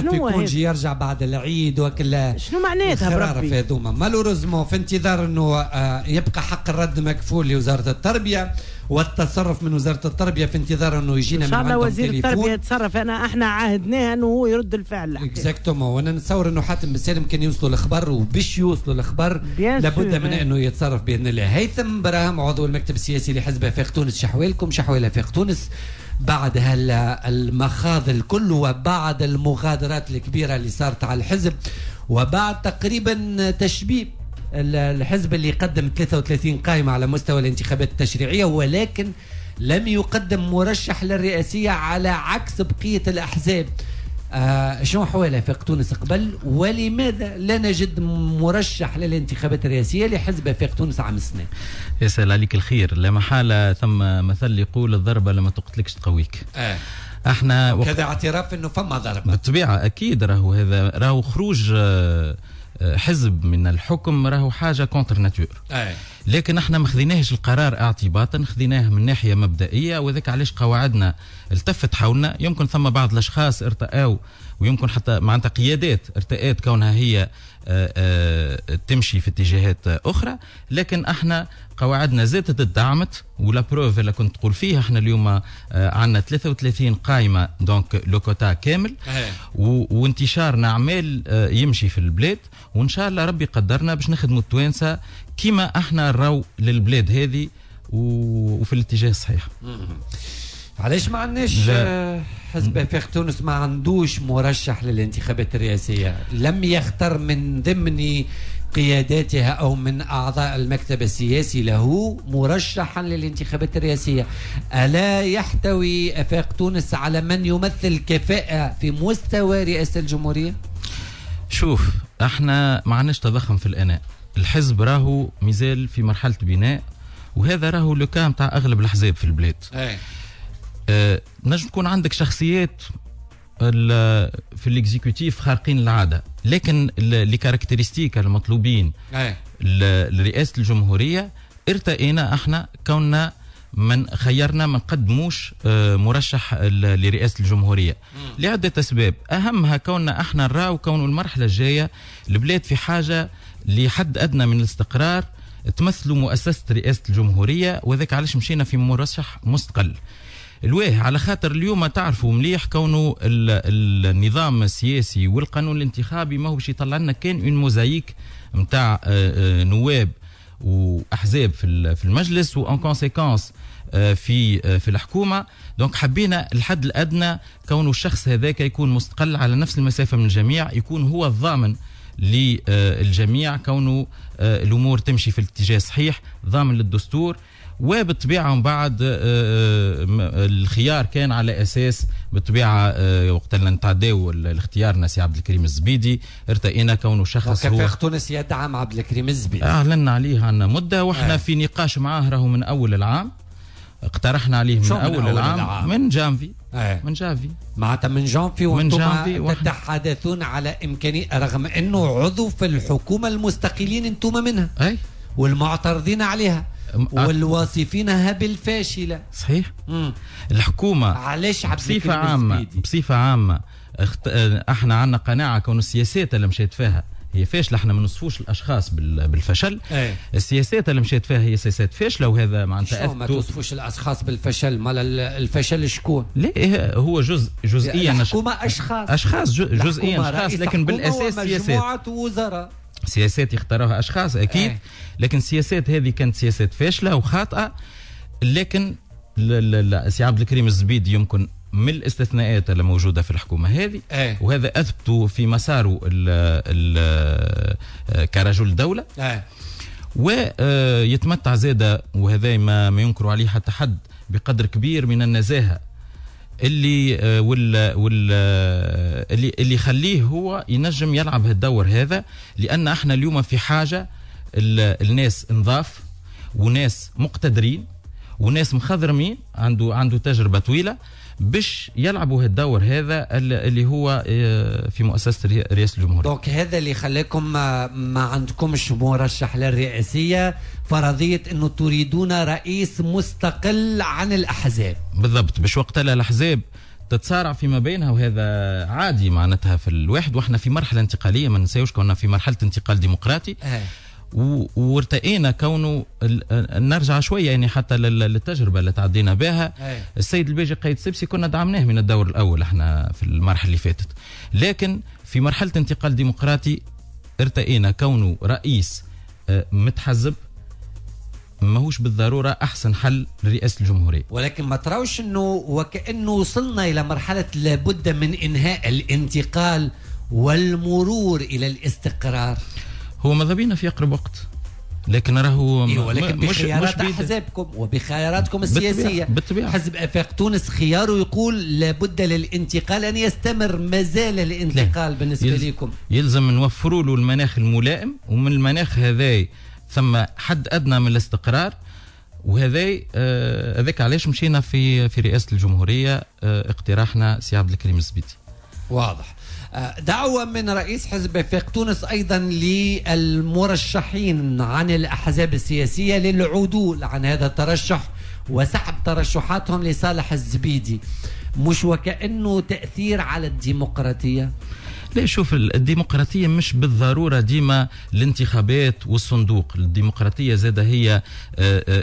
شنو congé يرجع بعد العيد وكل شنو معناتها بربي هذوما. malheureusement في انتظار انه يبقى حق الرد مكفول لوزارة التربية والتصرف من وزارة التربية، في انتظار انه يجينا من عندهم وزير التربية يتصرف. احنا عاهدناه انه هو يرد الفعل. exactement. وانا نتصور انه حاتم بن سالم كان يوصلوا الخبر، وباش يوصلوا الخبر لابد من انه يتصرف باذن الله. هيثم براهم عضو المكتب السياسي لحزب افاق تونس، شحوالكم شحوال افاق تونس بعد هالمخاض الكل وبعد المغادرات الكبيرة اللي صارت على الحزب وبعد تقريبا تشبيب الحزب اللي قدم 33 قائمة على مستوى الانتخابات التشريعية، ولكن لم يقدم مرشح للرئاسية على عكس بقية الأحزاب. شنو حوالها آفاق تونس قبل، ولماذا لا نجد مرشح للانتخابات الرئاسية لحزب آفاق تونس عام السنة؟ يسأل عليك الخير. لا محالة ثم مثل يقول الضربة لما تقتلكش تقويك. احنا كذا اعتراف انه فما ضربة بالطبيعة، اكيد راهو هذا راهو خروج حزب من الحكم راهو حاجة contre nature. لكن احنا ما خذيناهش القرار اعتباطا، خذيناه من ناحية مبدئية، وذاك علاش قواعدنا التفت حولنا. يمكن ثم بعض الاشخاص ارتأوا، ويمكن حتى معناتها قيادات ارتأت كونها هي تمشي في اتجاهات اخرى، لكن احنا قواعدنا زادت تدعمت. و la preuve اللي كنت تقول فيها، احنا اليوم عندنا 33 قائمة، donc le quota كامل، وانتشارنا عمال يمشي في البلاد، وان شاء الله ربي قدرنا باش نخدموا التوانسة كما احنا نراو للبلاد هذه وفي الاتجاه الصحيح. علاش ما عندناش حزب افاق تونس ما عندوش مرشح للانتخابات الرئاسية؟ لم يختر من ضمن قياداتها او من اعضاء المكتب السياسي له مرشحا للانتخابات الرئاسية. الا يحتوي افاق تونس على من يمثل كفاءة في مستوى رئاسة الجمهورية؟ شوف، احنا ما عندناش تضخم في الاناء. الحزب راهو مازال في مرحلة بناء، وهذا راهو le cas نتاع اغلب الاحزاب في البلاد. نجم تكون عندك شخصيات في l'exécutif خارقين العادة، لكن les caractéristiques المطلوبين لرئاسة الجمهورية ارتئينا احنا كوننا من خيرنا ما نقدموش مرشح لرئاسة الجمهورية لعدة اسباب، اهمها كوننا احنا نراو كون المرحلة الجاية البلاد في حاجة لحد ادنى من الاستقرار تمثلوا مؤسسة رئاسة الجمهورية، وذاك علاش مشينا في مرشح مستقل. الواه على خاطر اليوم تعرفوا مليح كونه النظام السياسي والقانون الانتخابي ما هو باش يطلع لنا كان une mosaïque نتاع نواب واحزاب في المجلس و en conséquence في الحكومة. donc حبينا الحد الادنى كونه الشخص هذاك يكون مستقل على نفس المسافة من الجميع، يكون هو الضامن للجميع كونه الامور تمشي في الاتجاه الصحيح، ضامن للدستور. وبالطبيعه من بعد الخيار كان على اساس بالطبيعة وقت اللي نتعداو الاختيار سي عبد الكريم الزبيدي، ارتئينا كونه شخص هو وكفاق تونس يدعم عبد الكريم الزبيدي، اعلنا عليه عندنا مده، واحنا في نقاش معاه راهو من اول العام، اقترحنا عليه من اول العام من جانفي من جانفي معناتها من جانفي وانتم تتحدثون على امكانية، رغم انه عضو في الحكومة المستقلين انتم منها والمعترضين عليها والواصفينها بالفاشله. صحيح. الحكومة علاش بصفة عامة، بصفة عامة احنا عندنا قناعة كون السياسات اللي مشيت فيها هي فاشلة، احنا ما نصفوش الاشخاص بالفشل. السياسات اللي مشيت فيها هي سياسات فاشلة، وهذا معناتها ما توصفوش الاشخاص بالفشل، مال الفشل شكون؟ لا هو جزئيا الحكومة اشخاص جزئيا اشخاص، لكن بالاساس سياسات، مجموعة وزراء، سياسات يختاروها اشخاص اكيد. لكن السياسات هذه كانت سياسات فاشلة وخاطئه. لكن سي عبد الكريم الزبيدي يمكن من الاستثناءات اللي موجودة في الحكومة هذه، وهذا اثبته في مساره كرجل دولة، ويتمتع زاده، وهذا ما ينكر عليه حتى حد، بقدر كبير من النزاهة اللي اللي يخليه هو ينجم يلعب هالدور هذا. لان احنا اليوم في حاجة الناس نظاف وناس مقتدرين وناس مخضرمين، عنده تجربه طويلة باش يلعبوا هالدور هذا اللي هو في مؤسسة رئاسة الجمهورية. donc هذا اللي خلاكم ما عندكمش مرشح للرئاسيه، فرضية انه تريدون رئيس مستقل عن الاحزاب. بالضبط، باش وقتها الاحزاب تتصارع فيما بينها، وهذا عادي معناتها في الواحد، واحنا في مرحلة انتقالية، ما ننساوش كنا في مرحلة انتقال ديمقراطي. وارتئينا كونه نرجع شوية يعني حتى للتجربه اللي تعدينا بها. السيد الباجي قايد سبسي كنا دعمناه من الدور الاول احنا في المرحلة اللي فاتت، لكن في مرحلة انتقال ديمقراطي ارتئينا كونه رئيس متحزب ماهوش بالضرورة احسن حل لرئاسة الجمهورية. ولكن ما تراوش انه وكانه وصلنا الى مرحلة لابد من انهاء الانتقال والمرور الى الاستقرار؟ هو ماذا بينا في اقرب وقت، لكن راهو ولكن بخيارات احزابكم وبخياراتكم السياسية. بالطبيعة. حزب افاق تونس خياره يقول لابد للانتقال ان يستمر، ما زال الانتقال بالنسبة لكم يلزم نوفروا له المناخ الملائم، ومن المناخ هذاي ثم حد ادنى من الاستقرار، وهذا هذاك علاش مشينا في رئاسة الجمهورية اقتراحنا سي عبد الكريم الزبيدي. واضح. دعوة من رئيس حزب آفاق تونس أيضا للمرشحين عن الأحزاب السياسية للعدول عن هذا الترشح وسحب ترشحاتهم لصالح الزبيدي، مش وكأنه تأثير على الديمقراطية؟ لا، شوف، الديمقراطية مش بالضرورة ديما الانتخابات والصندوق. الديمقراطية زادة هي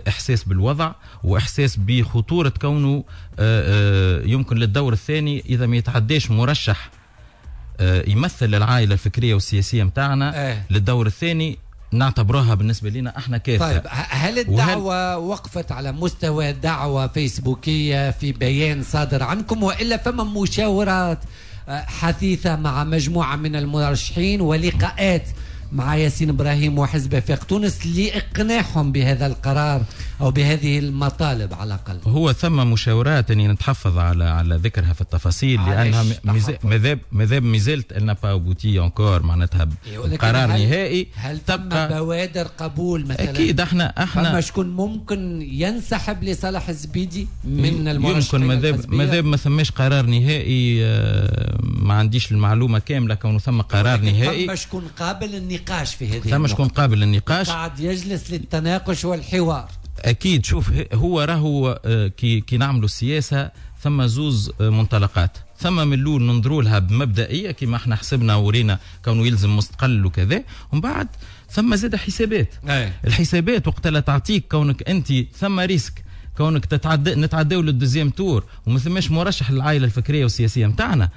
إحساس بالوضع وإحساس بخطورة كونه يمكن للدور الثاني إذا ما يتعداش مرشح يمثل العائلة الفكرية والسياسية متاعنا للدور الثاني نعتبرها بالنسبة لنا احنا كارثة. طيب، هل الدعوة وقفت على مستوى دعوة فيسبوكية في بيان صادر عنكم، وإلا فما مشاورات حثيثة مع مجموعة من المرشحين ولقاءات مع ياسين إبراهيم وحزب آفاق تونس لإقناعهم بهذا القرار أو بهذه المطالب على الأقل؟ هو ثم مشاورات أني نتحفظ على ذكرها في التفاصيل، لأنها مازال مازالت elle n'a pas abouti encore، معناتها قرار نهائي. هل ثم بوادر قبول مثلا؟ أكيد احنا فما شكون ممكن ينسحب لصالح الزبيدي من المرشحين؟ يمكن ماذاب ما ثماش قرار نهائي، ما عنديش المعلومة كاملة كونه ثم قرار نهائي. ثم شكون قابل النقاش في هذه؟ ثم شكون قابل للنقاش، قاعد يجلس للتناقش والحوار. اكيد. شوف، هو راهو كي نعملوا السياسة ثم زوز منطلقات، ثم من الاول ننظروا لها بمبدئيه كما احنا حسبنا ورينا كونه يلزم مستقل وكذا، ومن بعد ثم زاد حسابات. الحسابات وقت لا تعطيك كونك انت ثم risque كونك نتعداو لل deuxième tour وما ثماش مرشح للعائلة الفكرية والسياسية نتاعنا،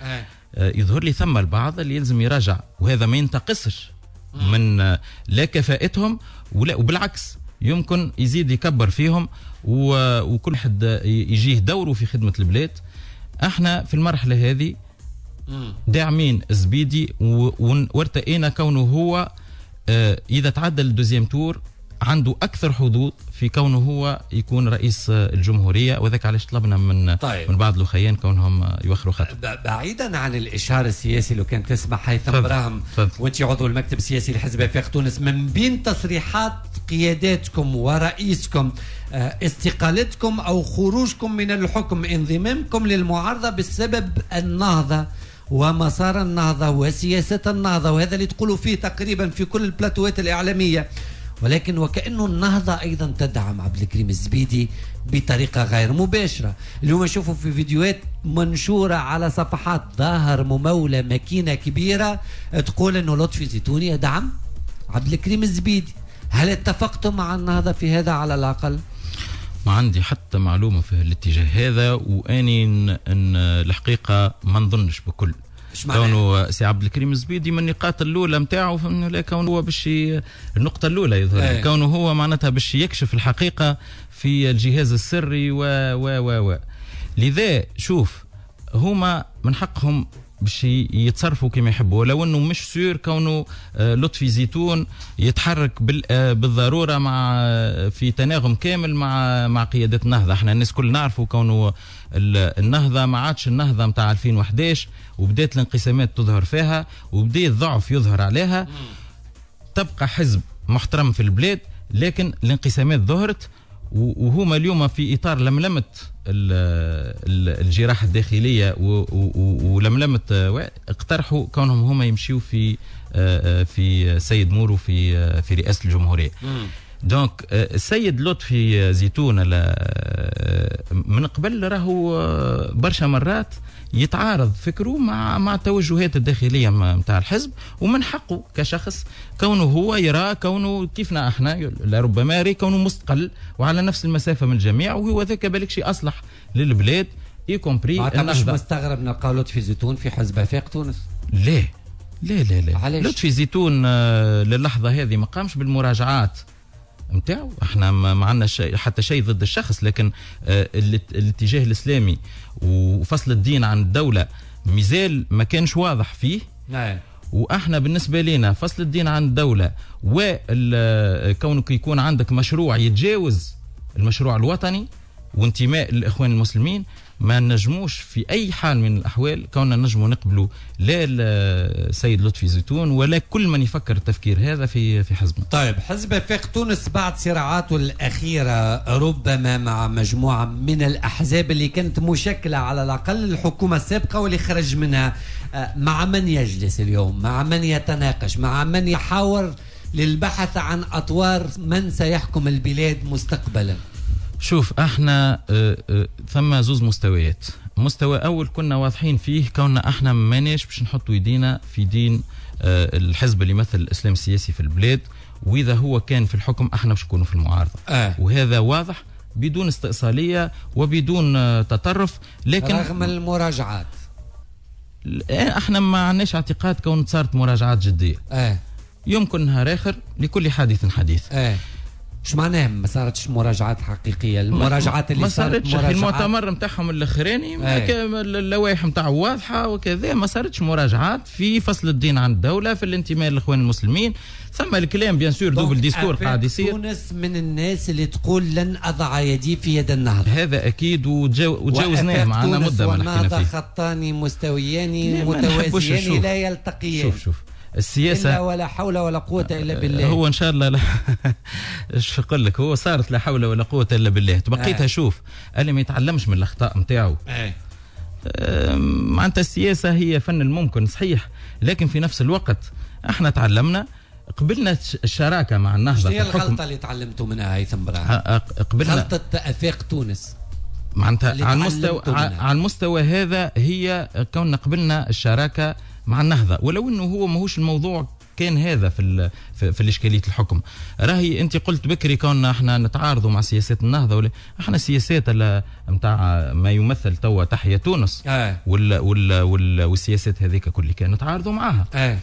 يظهر لي ثم البعض اللي يلزم يراجع، وهذا ما ينتقصش من لا كفاءتهم ولا، وبالعكس يمكن يزيد يكبر فيهم، وكل حد يجيه دوره في خدمة البلاد. احنا في المرحلة هذه داعمين الزبيدي وارتئينا كونه هو إذا تعدى ال deuxième tour عنده أكثر حظوظ في كونه هو يكون رئيس الجمهورية، وذاك علاش طلبنا من طيب. من بعض الأخيان كونهم يوخروا خطوة. بعيدا عن الإشهار السياسي لو كان تسمح هيثم إبراهيم، وانت عضو المكتب السياسي لحزب آفاق تونس، من بين تصريحات قياداتكم ورئيسكم استقالتكم أو خروجكم من الحكم، انضمامكم للمعارضة بسبب النهضة ومسار النهضة وسياسة النهضة، وهذا اللي تقولوا فيه تقريبا في كل البلاتوات الإعلامية، ولكن وكأنه النهضة أيضا تدعم عبد الكريم الزبيدي بطريقة غير مباشرة. اليوم نشوفوا في فيديوهات منشورة على صفحات ظاهر ممولة ماكينة كبيرة تقول أنه لطفي زيتوني يدعم عبد الكريم الزبيدي. هل اتفقتم مع النهضة في هذا على الأقل؟ ما عندي حتى معلومة في الاتجاه هذا، وأني إن الحقيقة ما نظنش بكل. كونه سي عبد الكريم الزبيدي من النقاط الاولى نتاعو، كونه هو باش النقطة الاولى يظهر كونه هو معناتها باش يكشف الحقيقة في الجهاز السري و و و و لذا شوف، هما من حقهم باش يتصرفوا كما يحبوا، ولو انه مش sûr كونه لطفي زيتون يتحرك بالضرورة مع في تناغم كامل مع قيادة النهضة. احنا الناس كل نعرفوا كونه النهضة ما عادش النهضة نتاع 2011، وبدات الانقسامات تظهر فيها وبدا الضعف يظهر عليها. تبقى حزب محترم في البلاد، لكن الانقسامات ظهرت، وهما اليوم في اطار لملمة الجراحة الداخلية ولملمه، اقترحوا كونهم هما يمشيوا في سيد مورو في رئاسة الجمهورية. donc السيد لطفي زيتون من قبل راهو برشا مرات يتعارض فكرة مع التوجهات الداخلية نتاع الحزب، ومن حقه كشخص كونه هو يرى كونه كيفنا احنا لربما يرى كونه مستقل وعلى نفس المسافة من الجميع، وهو ذاك بالك شيء اصلح للبلاد y compris. مش مستغرب نلقى لطفي زيتون في حزب آفاق تونس؟ ليه لا لا لا، علاش؟ لطفي زيتون للحظة هذه ما قامش بالمراجعات نتاعو، احنا ما عندنا حتى شيء ضد الشخص، لكن الاتجاه الاسلامي وفصل الدين عن الدولة مازال ما كانش واضح فيه. واحنا بالنسبة لنا فصل الدين عن الدولة وكونك يكون عندك مشروع يتجاوز المشروع الوطني وانتماء الاخوان المسلمين ما نجموش في اي حال من الاحوال كوننا نجموا نقبلوا لا السيد لطفي زيتون ولا كل من يفكر التفكير هذا في حزبنا. طيب، حزب آفاق تونس بعد صراعاته الاخيرة ربما مع مجموعة من الاحزاب اللي كانت مشكلة على الاقل الحكومة السابقة واللي خرج منها، مع من يجلس اليوم؟ مع من يتناقش؟ مع من يحاور للبحث عن اطوار من سيحكم البلاد مستقبلا؟ شوف، احنا ثم زوز مستويات. مستوى اول كنا واضحين فيه كوننا احنا ماناش باش نحطوا يدينا في دين الحزب اللي يمثل الاسلام السياسي في البلاد، واذا هو كان في الحكم احنا باش نكونوا في المعارضة. وهذا واضح بدون استئصاليه وبدون تطرف، لكن رغم المراجعات احنا ما عندناش اعتقاد كون صارت مراجعات جدية. يمكن نهار اخر لكل حادث حديث. شو معناها ما صارتش مراجعات حقيقية؟ المراجعات اللي ما صارتش في المؤتمر نتاعهم الاخراني اللوائح نتاعو واضحة وكذا، ما صارتش مراجعات في فصل الدين عن الدولة، في الانتماء للاخوان المسلمين، ثم الكلام bien sûr double discours قاعد يصير. تونس من الناس اللي تقول لن اضع يدي في يد النهضة، هذا اكيد وتجاوزناه معنا مده ما حكينا فيه. خطان مستويان متوازيان لا يلتقيان. شوف السياسة إلا ولا حول ولا قوة إلا بالله. هو إن شاء الله لا ايش نقول لك، هو صارت لا حول ولا قوة إلا بالله. تبقيتها شوف اللي ما يتعلمش من الأخطاء نتاعو. معناتها السياسة هي فن الممكن صحيح، لكن في نفس الوقت احنا تعلمنا، قبلنا الشراكة مع النهضة. هي الغلطة اللي تعلمتوا منها هيثم براهم؟ قبلنا غلطة آفاق تونس معناتها على المستوى هذا هي كوننا قبلنا الشراكة مع النهضة، ولو انه هو ماهوش الموضوع كان هذا في الاشكالية الحكم. راهي انت قلت بكري كنا احنا نتعارضوا مع سياسات النهضة، ولا احنا السياسات نتاع ما يمثل توا تحيا تونس وال وال وال والسياسات هذيك كل كان نتعارضوا معاها.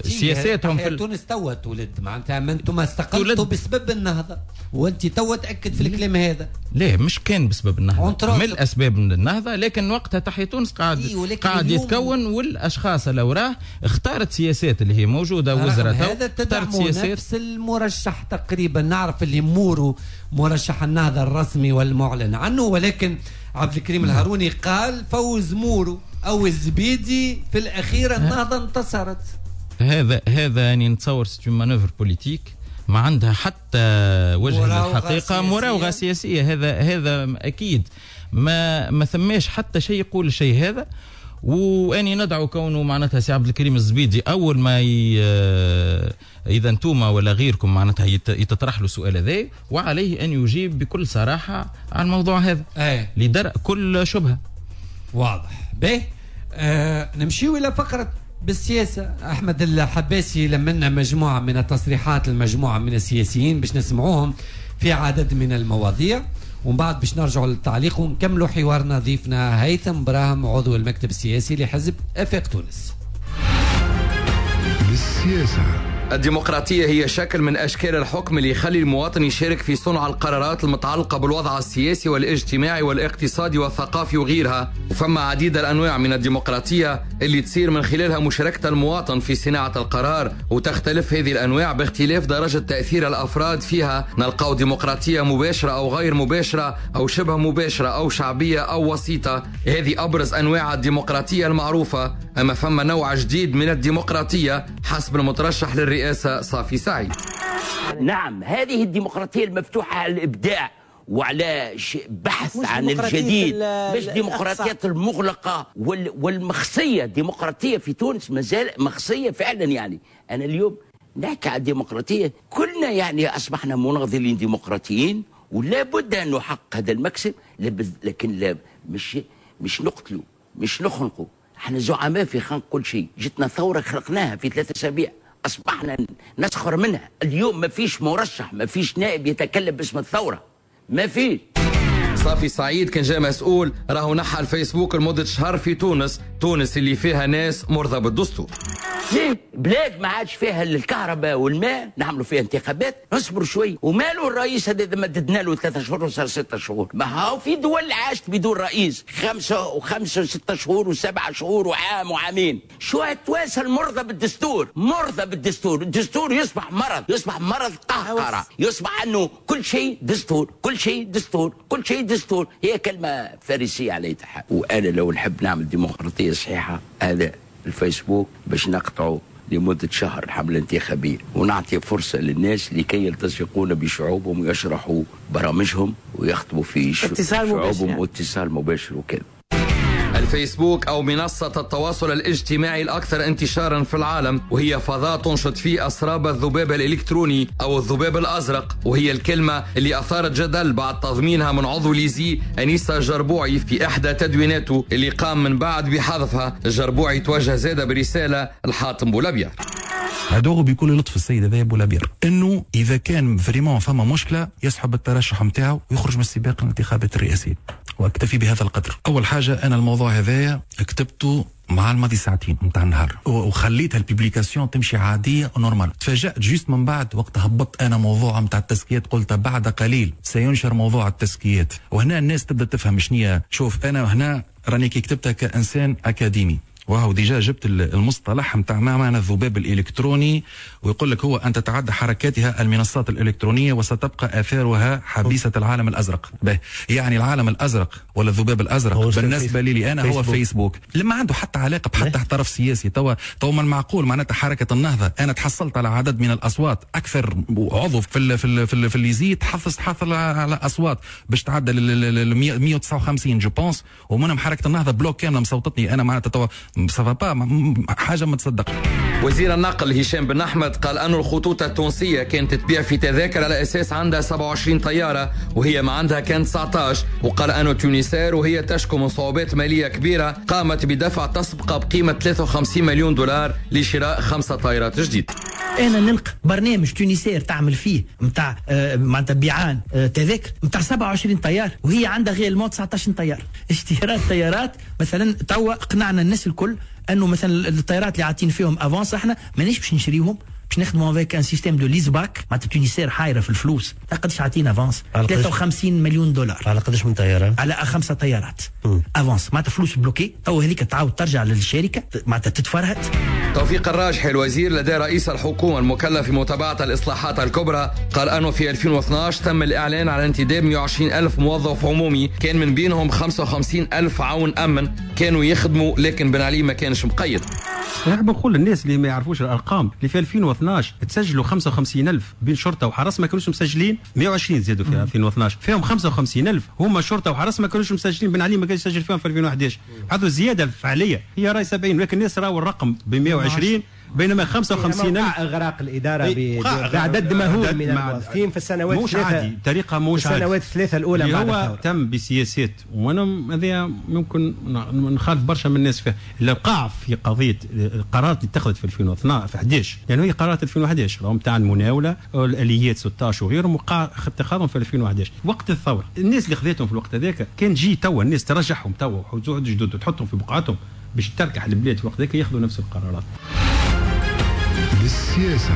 سياساتهم في تونس توا تولد، معناتها انتم استقلتوا بسبب النهضة، وانت توا تاكد في الكلام هذا. لا مش كان بسبب النهضة، من الاسباب من النهضة، لكن وقتها تحيا تونس قاعد يتكون، والاشخاص اللي وراه اختارت سياسات اللي هي موجودة وزراء هذا تدعموا نفس المرشح تقريبا. نعرف اللي مورو مرشح النهضة الرسمي والمعلن عنه، ولكن عبد الكريم الهاروني قال فوز مورو او الزبيدي في الاخير النهضة انتصرت. هذا يعني نتصور c'est une manœuvre politique ما عندها حتى وجه للحقيقة، مراوغه سياسية. هذا اكيد ما ثماش حتى شيء يقول الشيء هذا. واني ندعو كونه معناتها سي عبد الكريم الزبيدي اول ما اذا انتوما ولا غيركم معناتها يتطرح له السؤال هذا، وعليه ان يجيب بكل صراحة على الموضوع هذا لدرء كل شبهه. واضح. به نمشيو الى فقره بالسياسة. احمد الحباسي لمنا مجموعة من التصريحات المجموعة من السياسيين باش نسمعوهم في عدد من المواضيع، ومن بعد باش نرجعوا للتعليق ونكملوا حوارنا. ضيفنا هيثم براهم عضو المكتب السياسي لحزب آفاق تونس. بالسياسة. الديمقراطية هي شكل من أشكال الحكم اللي يخلي المواطن يشارك في صنع القرارات المتعلقة بالوضع السياسي والاجتماعي والاقتصادي والثقافي وغيرها. وفما عديد الأنواع من الديمقراطية اللي تصير من خلالها مشاركة المواطن في صناعة القرار، وتختلف هذه الأنواع باختلاف درجة تأثير الأفراد فيها. نلقاو ديمقراطية مباشرة أو غير مباشرة أو شبه مباشرة أو شعبية أو وسيطة. هذه أبرز أنواع الديمقراطية المعروفة. أما فما نوع جديد من الديمقراطية حسب المترشح للرئاسة صافي سعيد. نعم، هذه الديمقراطية المفتوحة على الإبداع وعلى بحث عن الجديد، مش ديمقراطية المغلقة والمخصية. الديمقراطية في تونس مازال مخصية فعلا. يعني أنا اليوم نحكي على الديمقراطية، كلنا يعني أصبحنا مناضلين ديمقراطيين، ولا بد أن نحقق هذا المكسب، لكن لا مش نقتله، مش نخنقه. احنا زعماء في خنق كل شيء. جتنا ثورة خلقناها في 3 أسابيع، أصبحنا نسخر منها. اليوم ما فيش مرشح، ما فيش نائب يتكلم باسم الثورة، ما فيش. صافي سعيد كان جاء مسؤول راهو نحى الفيسبوك لمدة شهر في تونس، تونس اللي فيها ناس مرضى بالدستور. بلاد ما عادش فيها الكهرباء والماء نعملوا فيها انتخابات، نصبر شوي. وماله الرئيس هذا اذا مددنا له 3 شهور وصار 6 شهور؟ ما هو في دول عاشت بدون رئيس 5 و5 و6 شهور و7 شهور وعام وعامين. شو هالتوانسه المرضى بالدستور؟ مرضى بالدستور، الدستور يصبح مرض، يصبح مرض قهقرة، يصبح انه كل شيء دستور، كل شيء دستور، كل شيء دستور. هي كلمة فارسية على أي حال. وأنا لو نحب نعمل ديمقراطية صحيحة، هذا الفيسبوك باش نقطعه لمدة شهر الحملة الانتخابية، ونعطي فرصة للناس لكي يلتصقون بشعوبهم ويشرحوا برامجهم ويخطبوا في شعوبهم، واتصال مباشر وكذا. الفيسبوك أو منصة التواصل الاجتماعي الأكثر انتشارا في العالم، وهي فضاء تنشط فيه أسراب الذباب الإلكتروني أو الذباب الأزرق، وهي الكلمة اللي أثارت جدل بعد تضمينها من عضو ليزي أنيسة جربوعي في إحدى تدويناته اللي قام من بعد بحذفها. الجربوعي توجه زادة برسالة الحاتم بولابير. أدعو بكل لطف السيد هذا بولابير انه اذا كان vraiment فما مشكلة يسحب الترشح نتاعو ويخرج من السباق الانتخابات الرئاسية، واكتفي بهذا القدر. اول حاجة انا الموضوع هذايا كتبته مع الماضي ساعتين نتاع النهار، وخليتها ال publication تمشي عادية و normal. تفاجات juste من بعد وقت هبطت انا موضوع نتاع التزكيات، قلت بعد قليل سينشر موضوع التزكيات، وهنا الناس تبدا تفهم شنية. شوف انا هنا راني كي كتبتها كانسان اكاديمي، وهو déjà جبت المصطلح نتاع ما معنى الذباب الالكتروني، ويقول لك هو ان تتعدى حركاتها المنصات الالكترونية وستبقى اثارها حبيسة العالم الازرق. به يعني العالم الازرق ولا الذباب الازرق بالنسبة لي انا هو فيسبوك، لما عنده حتى علاقة بحتى طرف سياسي. توا من المعقول معناتها حركة النهضة انا تحصلت على عدد من الاصوات، اكثر عضو في ال في ال في, ال في l'ISIE تحصل على اصوات باش تعدى ال 159 je pense، ومنهم حركة النهضة bloc كاملة مصوتتني انا، معناتها توا ça va pas حاجة ما تصدق. وزير النقل هشام بن احمد قال أن الخطوط التونسية كانت تبيع في تذاكر على اساس عندها 27 طيارة وهي ما عندها كان 19، وقال أن Tunisair وهي تشكو من صعوبات ماليه كبيرة قامت بدفع تسبقه بقيمة 53 مليون دولار لشراء 5 طائرات جديدة. انا نلقى برنامج Tunisair تعمل فيه نتاع معناتها بيعان تذاكر نتاع 27 طيار وهي عندها réellement 19 طيار. اشتراء طيارات مثلا توا قنعنا الناس الكل انه مثلا الطيارات اللي عاطين فيهم avance احنا مانيش باش نشريهم، باش نخدموا avec un système de lease-back. معناتها Tunisair حايره في الفلوس، قداش عاطينا avance؟ 53 مليون دولار. على قداش من طيارة؟ على 5 طيارات avance، معناتها فلوس bloquées تو هذيك تعاود ترجع للشركة معناتها تتفرهد. توفيق الراجحي الوزير لدى رئيس الحكومة المكلف بمتابعة الاصلاحات الكبرى قال انه في 2012 تم الاعلان على انتداب 120 ألف موظف عمومي، كان من بينهم 55 ألف عون امن كانوا يخدموا، لكن بن علي ما كانش مقيد. نحب نقول للناس اللي ما يعرفوش الارقام اللي في 2012 تسجلوا 55,000 بين شرطه وحرس ما كانوش مسجلين، 120 زادوا في 2012 فيهم 55,000 هما شرطه وحرس ما كانوش مسجلين، بن علي ما كانش يسجل فيهم في 2011. هذو الزيادة الفعلية هي راي 70، ولكن الناس راهو الرقم ب 120 بينما 55,000. اغراق الادارة بعدد مهول من الموظفين في السنوات مش عادي، طريقه مش عادي. السنوات الثلاثة الاولى بعد هو تم بسياسات، وانا هذا ممكن نخالف برشا من الناس فيها، اللي وقع في قضية القرارات اللي اتخذت في 2012 في 11، لانه هي قرارات 2011 راهم تاع المناوله الاليات 16 وغيرهم وقع اتخاذهم في 2011 وقت الثورة. الناس اللي خذتهم في الوقت هذاك كان جي توا الناس ترجعهم توا وحوزوا جدد وتحطهم في بقعتهم باش تركح البلاد في الوقت هذاك ياخذوا نفس القرارات. بالسياسة.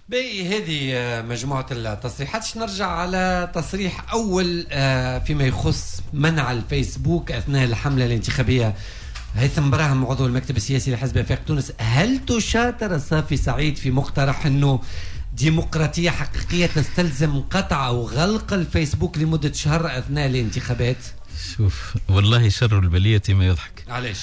باهي هذه مجموعة التصريحات. نرجع على تصريح أول فيما يخص منع الفيسبوك أثناء الحملة الانتخابية. هيثم براهم عضو المكتب السياسي لحزب آفاق تونس، هل تشاطر الصافي سعيد في مقترح أنه ديمقراطية حقيقية تستلزم قطع أو غلق الفيسبوك لمدة شهر أثناء الانتخابات؟ شوف والله شر البلية ما يضحك. علاش؟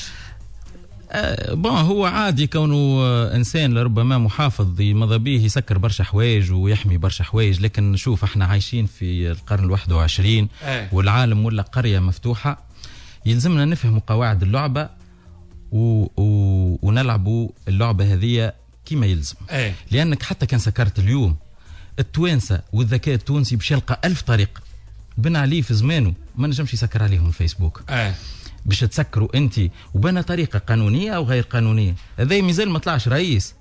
bon هو عادي كونه انسان لربما محافظ ماذا به يسكر برشا حوايج ويحمي برشا حوايج، لكن شوف احنا عايشين في القرن 21 والعالم ولا قرية مفتوحة، يلزمنا نفهم قواعد اللعبة ونلعبوا اللعبة هذه كما يلزم. لانك حتى كان سكرت اليوم التوانسة والذكاء التونسي باش يلقى 1000 طريقة. بن علي في زمانه ما نجمش يسكر عليهم الفيسبوك. باش تسكروا انت وبنا طريقه قانونية او غير قانونية، هذا مازال ما طلعش رئيس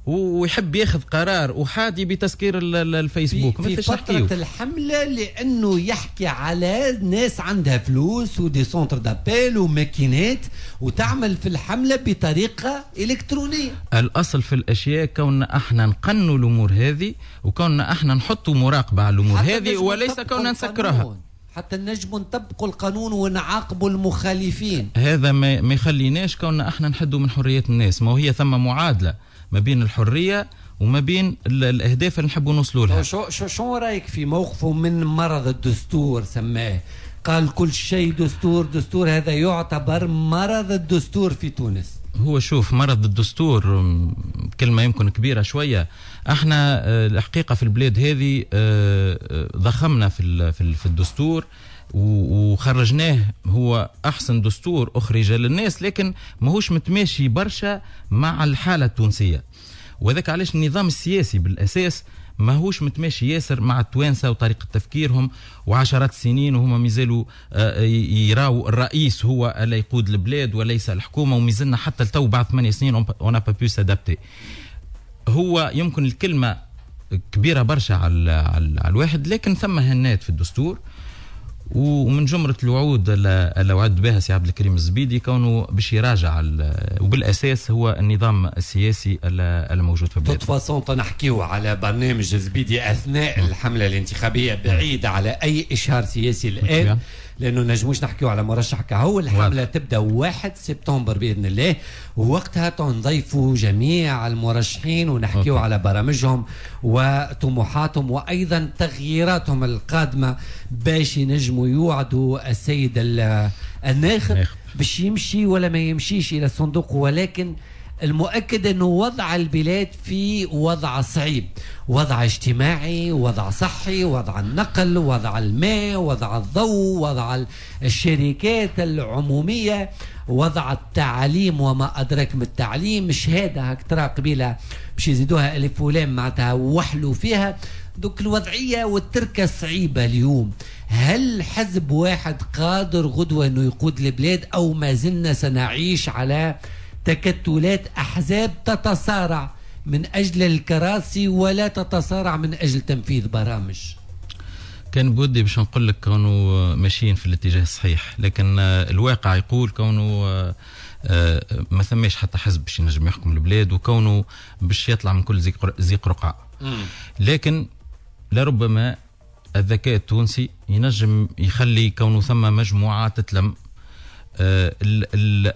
ويحب ياخذ قرار احادي بتسكير الفيسبوك. في فترة الحملة، لانه يحكي على ناس عندها فلوس و des centres d'appel وماكينات وتعمل في الحملة بطريقة الكترونية. الاصل في الاشياء كوننا احنا نقنوا الامور هذه، وكوننا احنا نحطوا مراقبة على الامور هذه، وليس كوننا نسكرها. حتى نجموا نطبقوا القانون ونعاقبوا المخالفين. هذا ما يخليناش كوننا احنا نحدوا من حرية الناس. ما هي ثم معادلة ما بين الحرية وما بين الاهداف اللي نحبوا نوصلوا لها. شو رايك في موقفه من مرض الدستور؟ سماه، قال كل شيء دستور دستور، هذا يعتبر مرض الدستور في تونس. هو شوف، مرض الدستور كلمة يمكن كبيرة شوية. احنا الحقيقة في البلاد هذه ضخمنا في الدستور وخرجناه، هو أحسن دستور أخرج للناس، لكن ماهوش متماشي برشا مع الحالة التونسية. وذاك علاش النظام السياسي بالأساس ماهوش متماشي ياسر مع التوانسة وطريقة تفكيرهم، وعشرات السنين وهما مازالوا يراو الرئيس هو اللي يقود البلاد وليس الحكومة، ومازلنا حتى لتو بعد 8 سنين on n'a pas pu s'adapter. هو يمكن الكلمة كبيرة برشا على الواحد، لكن ثم هنات في الدستور. ومن جمرة الوعود اللي وعد بها سي عبد الكريم الزبيدي كونه باش يراجع، وبالاساس هو النظام السياسي الموجود في البلاد. de toute façon نحكيو على برنامج الزبيدي اثناء الحملة الانتخابية، بعيد على اي اشهار سياسي الان، لانه نجموش نحكيو على مرشح كهو. الحملة تبدا 1 سبتمبر باذن الله، ووقتها تنضيفوا جميع المرشحين ونحكيو على برامجهم وطموحاتهم وايضا تغييراتهم القادمة باش ينجموا يوعدوا السيد الناخب باش يمشي ولا ما يمشيش الى الصندوق. ولكن المؤكد أنه وضع البلاد في وضع صعيب، وضع اجتماعي، وضع صحي، وضع النقل، وضع الماء، وضع الضوء، وضع الشركات العمومية، وضع التعليم وما أدراك من التعليم. شهادة هاك ترى قبيلة باش يزيدوها ألف ولام معناتها وحلوا فيها. دوك الوضعية والتركة صعيبة اليوم. هل حزب واحد قادر غدوة أنه يقود البلاد، أو ما زلنا سنعيش على تكتلات أحزاب تتصارع من أجل الكراسي ولا تتصارع من أجل تنفيذ برامج؟ كان بودي باش نقول لك كونوا ماشيين في الاتجاه الصحيح، لكن الواقع يقول كونه ما ثماش حتى حزب باش ينجم يحكم البلاد، وكونه باش يطلع من كل زيق رقعة. لكن لربما الذكاء التونسي ينجم يخلي كونه ثم مجموعة تتلم.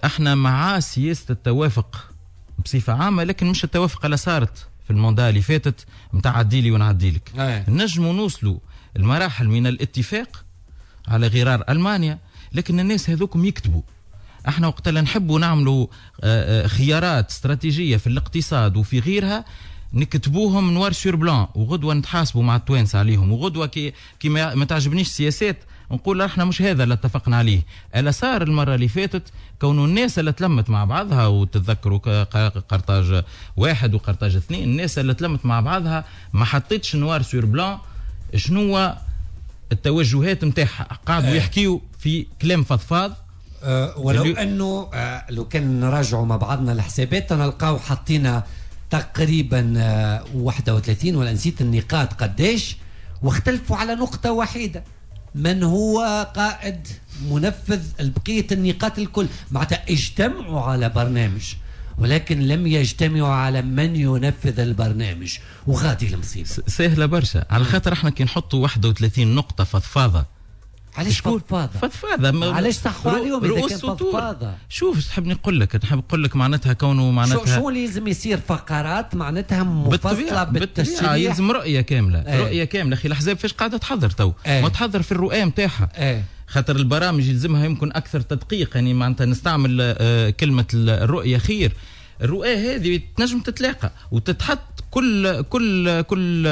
احنا مع سياسة التوافق بصفة عامة، لكن مش التوافق اللي صارت في ال mandat اللي فاتت نتاع عديلي ونعديلك. نجموا نوصلوا المراحل من الاتفاق على غرار ألمانيا، لكن الناس هذوكم يكتبوا. احنا وقت اللي نحبوا نعملوا خيارات استراتيجية في الاقتصاد وفي غيرها نكتبوهم noir sur blanc، وغدوة نتحاسبوا مع التوانسة عليهم. وغدوة كي ما تعجبنيش السياسات نقول احنا مش هذا اللي اتفقنا عليه. الا صار المرة اللي فاتت كون الناس اللي تلمت مع بعضها، وتتذكروا قرطاج 1 وقرطاج 2، الناس اللي تلمت مع بعضها ما حطيتش noir sur blanc شنو التوجهات نتاعها، قعدوا يحكيوا في كلام فضفاض. ولو انه لو كان نراجعوا مع بعضنا الحسابات نلقاو حطينا تقريبا 31 ولا نسيت النقاط قداش، واختلفوا على نقطة واحدة، من هو قائد منفذ بقية النقاط الكل. معناتها اجتمعوا على برنامج ولكن لم يجتمعوا على من ينفذ البرنامج، وغادي المصيبة. سهلة برشا على خاطر احنا كي نحطوا 31 نقطة فضفاضة. علاش فضفاضة؟ فضفاضة علاش صحوا عليهم إذا كان فضفاضة؟ شوف تحب نقول لك، نحب نقول لك معناتها كونه معناتها شو لازم يصير فقرات معناتها مفصلة بالتشريح، يلزم رؤية كاملة. رؤية كاملة. أخي الأحزاب فاش قاعدة تحضر تو؟ ما تحضر في الرؤية نتاعها. خاطر البرامج يلزمها يمكن أكثر تدقيق، يعني معناتها نستعمل كلمة الرؤية خير. الرؤية هذه تنجم تتلاقى وتتحط كل كل كل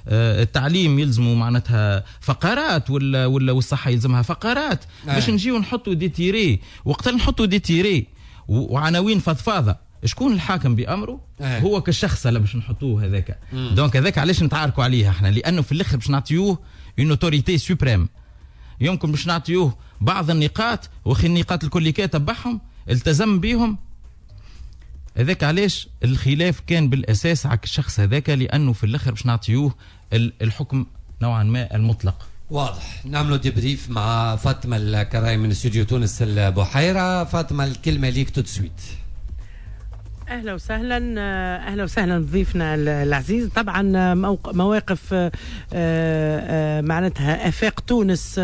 التعليم يلزموا معناتها فقرات، ولا والصحة يلزمها فقرات، باش نجيو نحطوا des tirets. وقت نحطوا des tirets وعناوين فضفاضة، شكون الحاكم بأمره؟ هو كالشخص اللي باش نحطوه هذاك. donc هذاك علاش نتعاركوا عليه احنا، لأنه في الآخر باش نعطيوه une autorité suprême. يمكن باش نعطيوه بعض النقاط، وخي النقاط الكل كي تبعهم التزم بيهم. هذاك علاش الخلاف كان بالاساس على الشخص هذاك، لانه في الاخر باش نعطيوه الحكم نوعا ما المطلق. واضح. نعملوا débrief مع فاطمة الكراي من استوديو تونس البحيرة. فاطمة، الكلمة ليك tout de suite. اهلا وسهلا، اهلا وسهلا بضيفنا العزيز. طبعا مواقف معناتها افاق تونس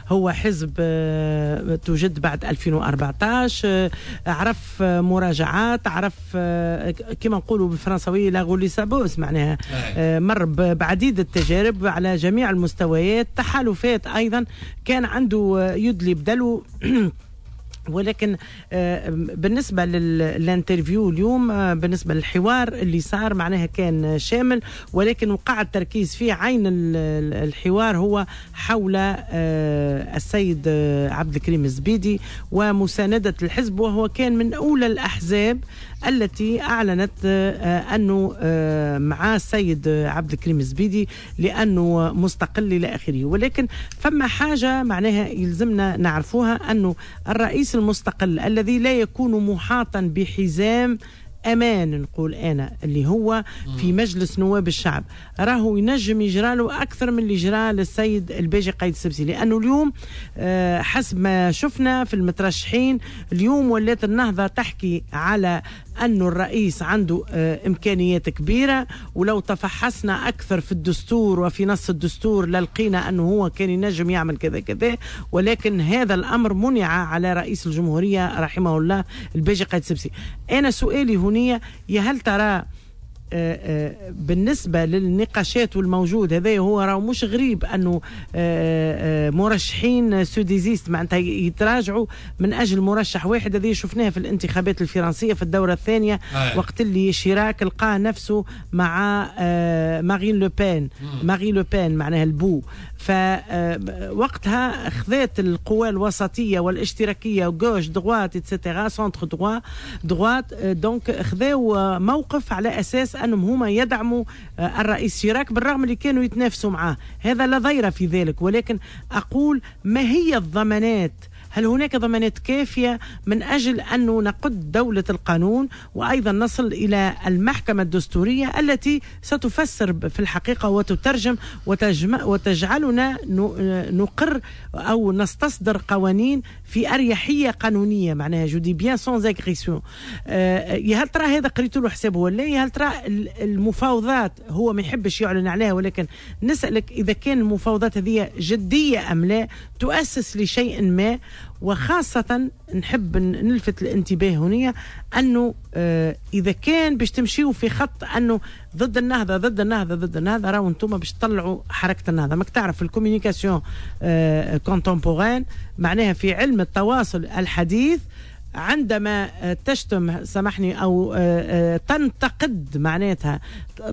هو حزب توجد بعد 2014، عرف مراجعات، عرف كما نقولوا بالفرنساويه la roue sa bosse، معناها مر بعديد التجارب على جميع المستويات، تحالفات ايضا كان عنده يدلي بدلو. ولكن بالنسبة لل interview اليوم، بالنسبة للحوار اللي صار، معناها كان شامل، ولكن وقع التركيز فيه عين الحوار هو حول السيد عبد الكريم الزبيدي ومساندة الحزب، وهو كان من أولى الأحزاب التي أعلنت أنه مع السيد عبد الكريم الزبيدي لأنه مستقل إلى آخره. ولكن فما حاجة معناها يلزمنا نعرفوها، أنه الرئيس المستقل الذي لا يكون محاطا بحزام أمان، نقول أنا اللي هو في مجلس نواب الشعب، راهو ينجم يجرى له أكثر من اللي جرى للسيد الباجي قايد السبسي، لأنه اليوم حسب ما شفنا في المترشحين اليوم ولات النهضة تحكي على أن الرئيس عنده إمكانيات كبيرة، ولو تفحصنا أكثر في الدستور وفي نص الدستور للقينا أنه هو كان ينجم يعمل كذا كذا، ولكن هذا الأمر منع على رئيس الجمهورية رحمه الله الباجي قايد السبسي. أنا سؤالي هنا، يا هل ترى بالنسبة للنقاشات والموجود هذا، هو راهو مش غريب أنه مرشحين se désistent، معناتها يتراجعوا من أجل مرشح واحد. هذه شفناها في الانتخابات الفرنسية في الدورة الثانية، وقت اللي شيراك لقى نفسه مع مارين لوبان، مارين لوبان معناها البو، فوقتها خذات القوى الوسطية والاشتراكية gauche droite et cetera centre droite، donc خذاو موقف على أساس أنهم هما يدعموا الرئيس شيراك بالرغم اللي كانوا يتنافسوا معاه. هذا لا ضير في ذلك، ولكن أقول ما هي الضمانات؟ هل هناك ضمانات كافية من أجل أن نقد دولة القانون وأيضا نصل إلى المحكمة الدستورية التي ستفسر في الحقيقة وتترجم وتجعلنا نقر أو نستصدر قوانين في أريحية قانونية، معناها je dis bien sans agression. هل ترى هذا قريت له حسابه ولا؟ هل ترى المفاوضات هو ما يحبش يعلن عليها، ولكن نسألك إذا كان المفاوضات هذه جدية أم لا، تؤسس لشيء ما؟ وخاصة نحب نلفت الانتباه هنا أنه إذا كان باش تمشيوا في خط أنه ضد النهضة ضد النهضة ضد النهضة، راهو انتم باش تطلعوا حركة النهضة. ماك تعرف ال communication contemporaine، معناها في علم التواصل الحديث، عندما تشتم سامحني أو تنتقد معناتها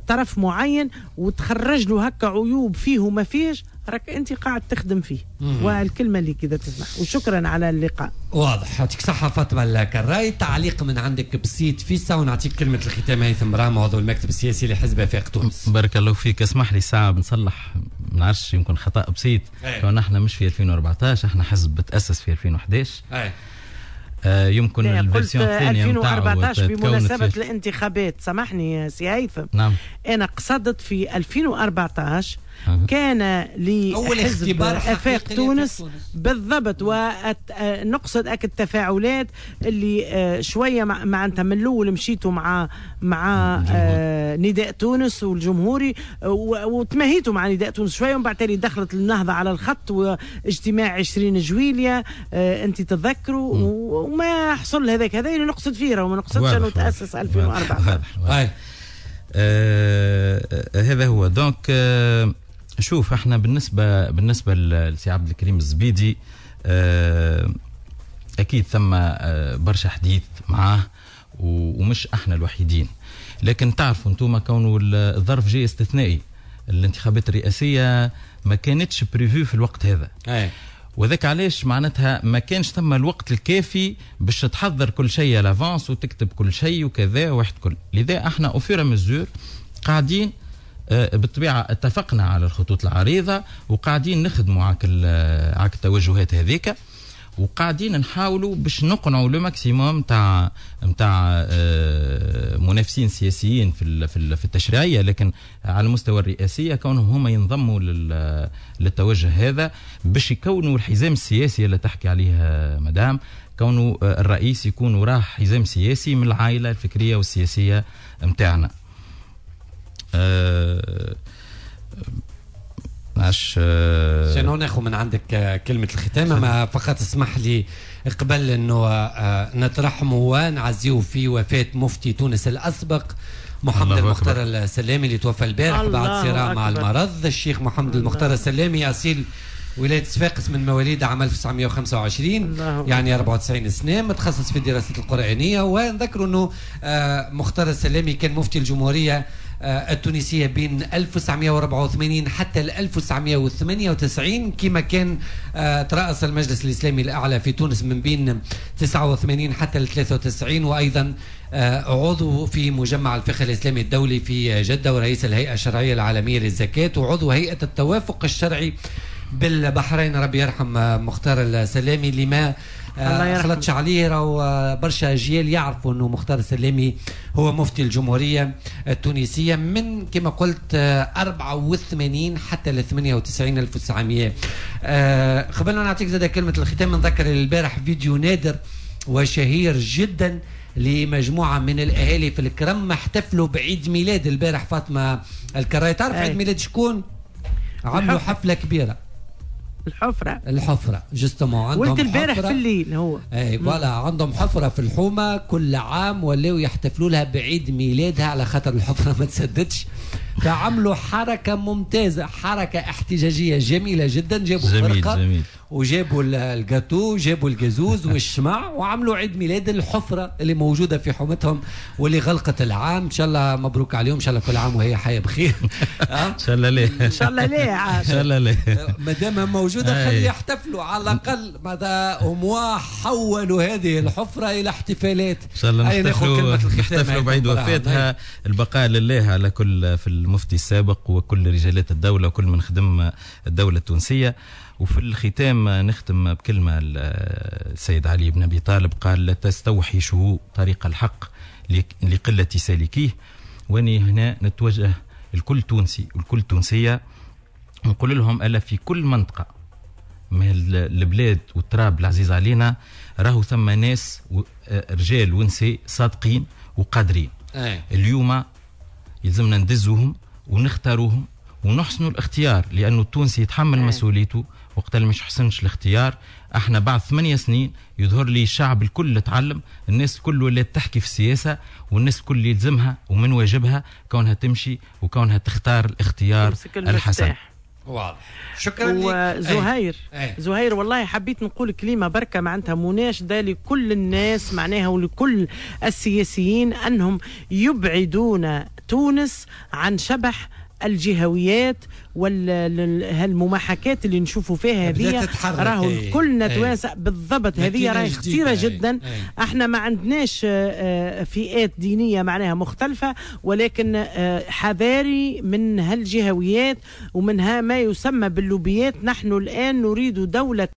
طرف معين وتخرج له هكا عيوب فيه وما فيهش، راك أنت قاعد تخدم فيه. والكلمة اللي كذا تسمح. وشكرا على اللقاء. واضح، يعطيك صحة فاطمة الكراي. تعليق من عندك بسيط فيسا ونعطيك كلمة الختام هيثم براهم عضو المكتب السياسي لحزب آفاق تونس. بارك الله فيك. اسمح لي ساعة بنصلح، ما نعرفش يمكن خطأ بسيط. كون احنا مش في 2014، احنا حزب تأسس في 2011. يمكن ال version الثانية 2014 بمناسبة الانتخابات. سامحني سي هيثم. نعم. أنا قصدت في 2014 كان لحزب آفاق تونس بالضبط، ونقصد أك التفاعلات اللي شوية معناتها من الأول مشيتوا مع نداء تونس والجمهوري وتمهيتوا مع نداء تونس شوية، ومن بعد تالي دخلت النهضة على الخط واجتماع 20 جويلية أنت تتذكروا، وما حصل هذاك. هذا اللي نقصد فيه، وما نقصدش أنه تأسس 2014. هذا هو. donc شوف احنا بالنسبة لسي عبد الكريم الزبيدي اكيد ثم برشا حديث معاه ومش احنا الوحيدين، لكن تعرفوا انتم كونه الظرف جاي استثنائي، الانتخابات الرئاسية ما كانتش prévue في الوقت هذا. وذاك علاش معناتها ما كانش ثم الوقت الكافي باش تحضر كل شيء à l'avance وتكتب كل شيء وكذا واحد كل. لذا احنا au fur et à mesure قاعدين بالطبيعة اتفقنا على الخطوط العريضة وقاعدين نخدموا على التوجهات هذيك، وقاعدين نحاولوا باش نقنعوا le maximum تاع منافسين سياسيين في التشريعية، لكن على المستوى الرئاسية كونهم هما ينضموا للتوجه هذا باش يكونوا الحزام السياسي اللي تحكي عليه مدام، كونه الرئيس يكون وراه حزام سياسي من العائلة الفكرية والسياسية متاعنا. شنو ناخذ من عندك كلمة الختام؟ ما فقط اسمح لي قبل انه نترحموا ونعزيو في وفاة مفتي تونس الاسبق محمد المختار السلامي اللي توفى البارح بعد صراع مع المرض. الشيخ محمد المختار السلامي اصيل ولاية صفاقس من مواليد عام 1925، يعني 94 سنة، متخصص في الدراسات القرآنية. ونذكر أنه مختار السلامي كان مفتي الجمهورية التونسية بين 1984 حتى 1998، كما كان ترأس المجلس الإسلامي الأعلى في تونس من بين 89 حتى 93، وأيضا عضو في مجمع الفقه الإسلامي الدولي في جدة، ورئيس الهيئة الشرعية العالمية للزكاة، وعضو هيئة التوافق الشرعي بالبحرين. ربي يرحم مختار السلامي اللي ما خلطش عليه، راهو برشا اجيال يعرفوا انه مختار السلامي هو مفتي الجمهورية التونسية من كما قلت 84 حتى ل 98 1900. قبل ما نعطيك زاد كلمة الختام، نذكر البارح فيديو نادر وشهير جدا لمجموعة من الاهالي في الكرم احتفلوا بعيد ميلاد البارح فاطمة الكراي. تعرف عيد ميلاد شكون؟ عملوا حفلة كبيرة. الحفرة justement عندهم ولد البارح في الليل هو اي voilà، عندهم حفرة في الحومة كل عام ولاو يحتفلوا لها بعيد ميلادها على خاطر الحفرة ما تسددش، فعملوا حركة ممتازة، حركة احتجاجية جميلة جدا. جابوا فرقة جميل. وجابوا الجاتو، جابوا الجازوز والشمع، وعملوا عيد ميلاد الحفرة اللي موجودة في حومتهم واللي غلقت العام. إن شاء الله مبروك عليهم، إن شاء الله كل عام وهي حية بخير. إن شاء الله ليه، إن شاء الله ليه، إن شاء الله ليه، ما دام موجودة خلي يحتفلوا على الأقل، ماذا هموا حولوا هذه الحفرة إلى احتفالات. إن شاء الله نحتفلوا بعيد وفاتها. البقاء لله على كل في المفتي السابق وكل رجالات الدولة وكل من خدم الدولة التونسية. وفي الختام نختم بكلمة السيد علي بن أبي طالب، قال: لا تستوحشوا طريق الحق لقلة سالكيه. واني هنا نتوجه لكل تونسي والكل تونسية، نقول لهم ألا في كل منطقة من البلاد والتراب العزيز علينا راهو ثم ناس رجال ونساء صادقين وقادرين. اليوم يلزمنا ندزوهم ونختاروهم ونحسنوا الاختيار، لأنه التونسي يتحمل مسؤوليته. وقت اللي مش حسنش الاختيار، احنا بعد 8 سنين يظهر لي الشعب الكل تعلم، الناس الكل ولات تحكي في السياسة، والناس الكل يلزمها ومن واجبها كونها تمشي وكونها تختار الاختيار الحسن. واضح. شكرا لك زهير. زهير والله حبيت نقول كلمة بركة معناتها مناشده لكل الناس معناها ولكل السياسيين انهم يبعدون تونس عن شبح الجهويات والمماحكات اللي نشوفوا فيها هذه. راهو كلنا توانسة بالضبط، هذه راهي خطيرة جدا. احنا ما عندناش فئات دينية معناها مختلفة، ولكن حذاري من هالجهويات ومنها ما يسمى باللوبيات. نحن الآن نريد دولة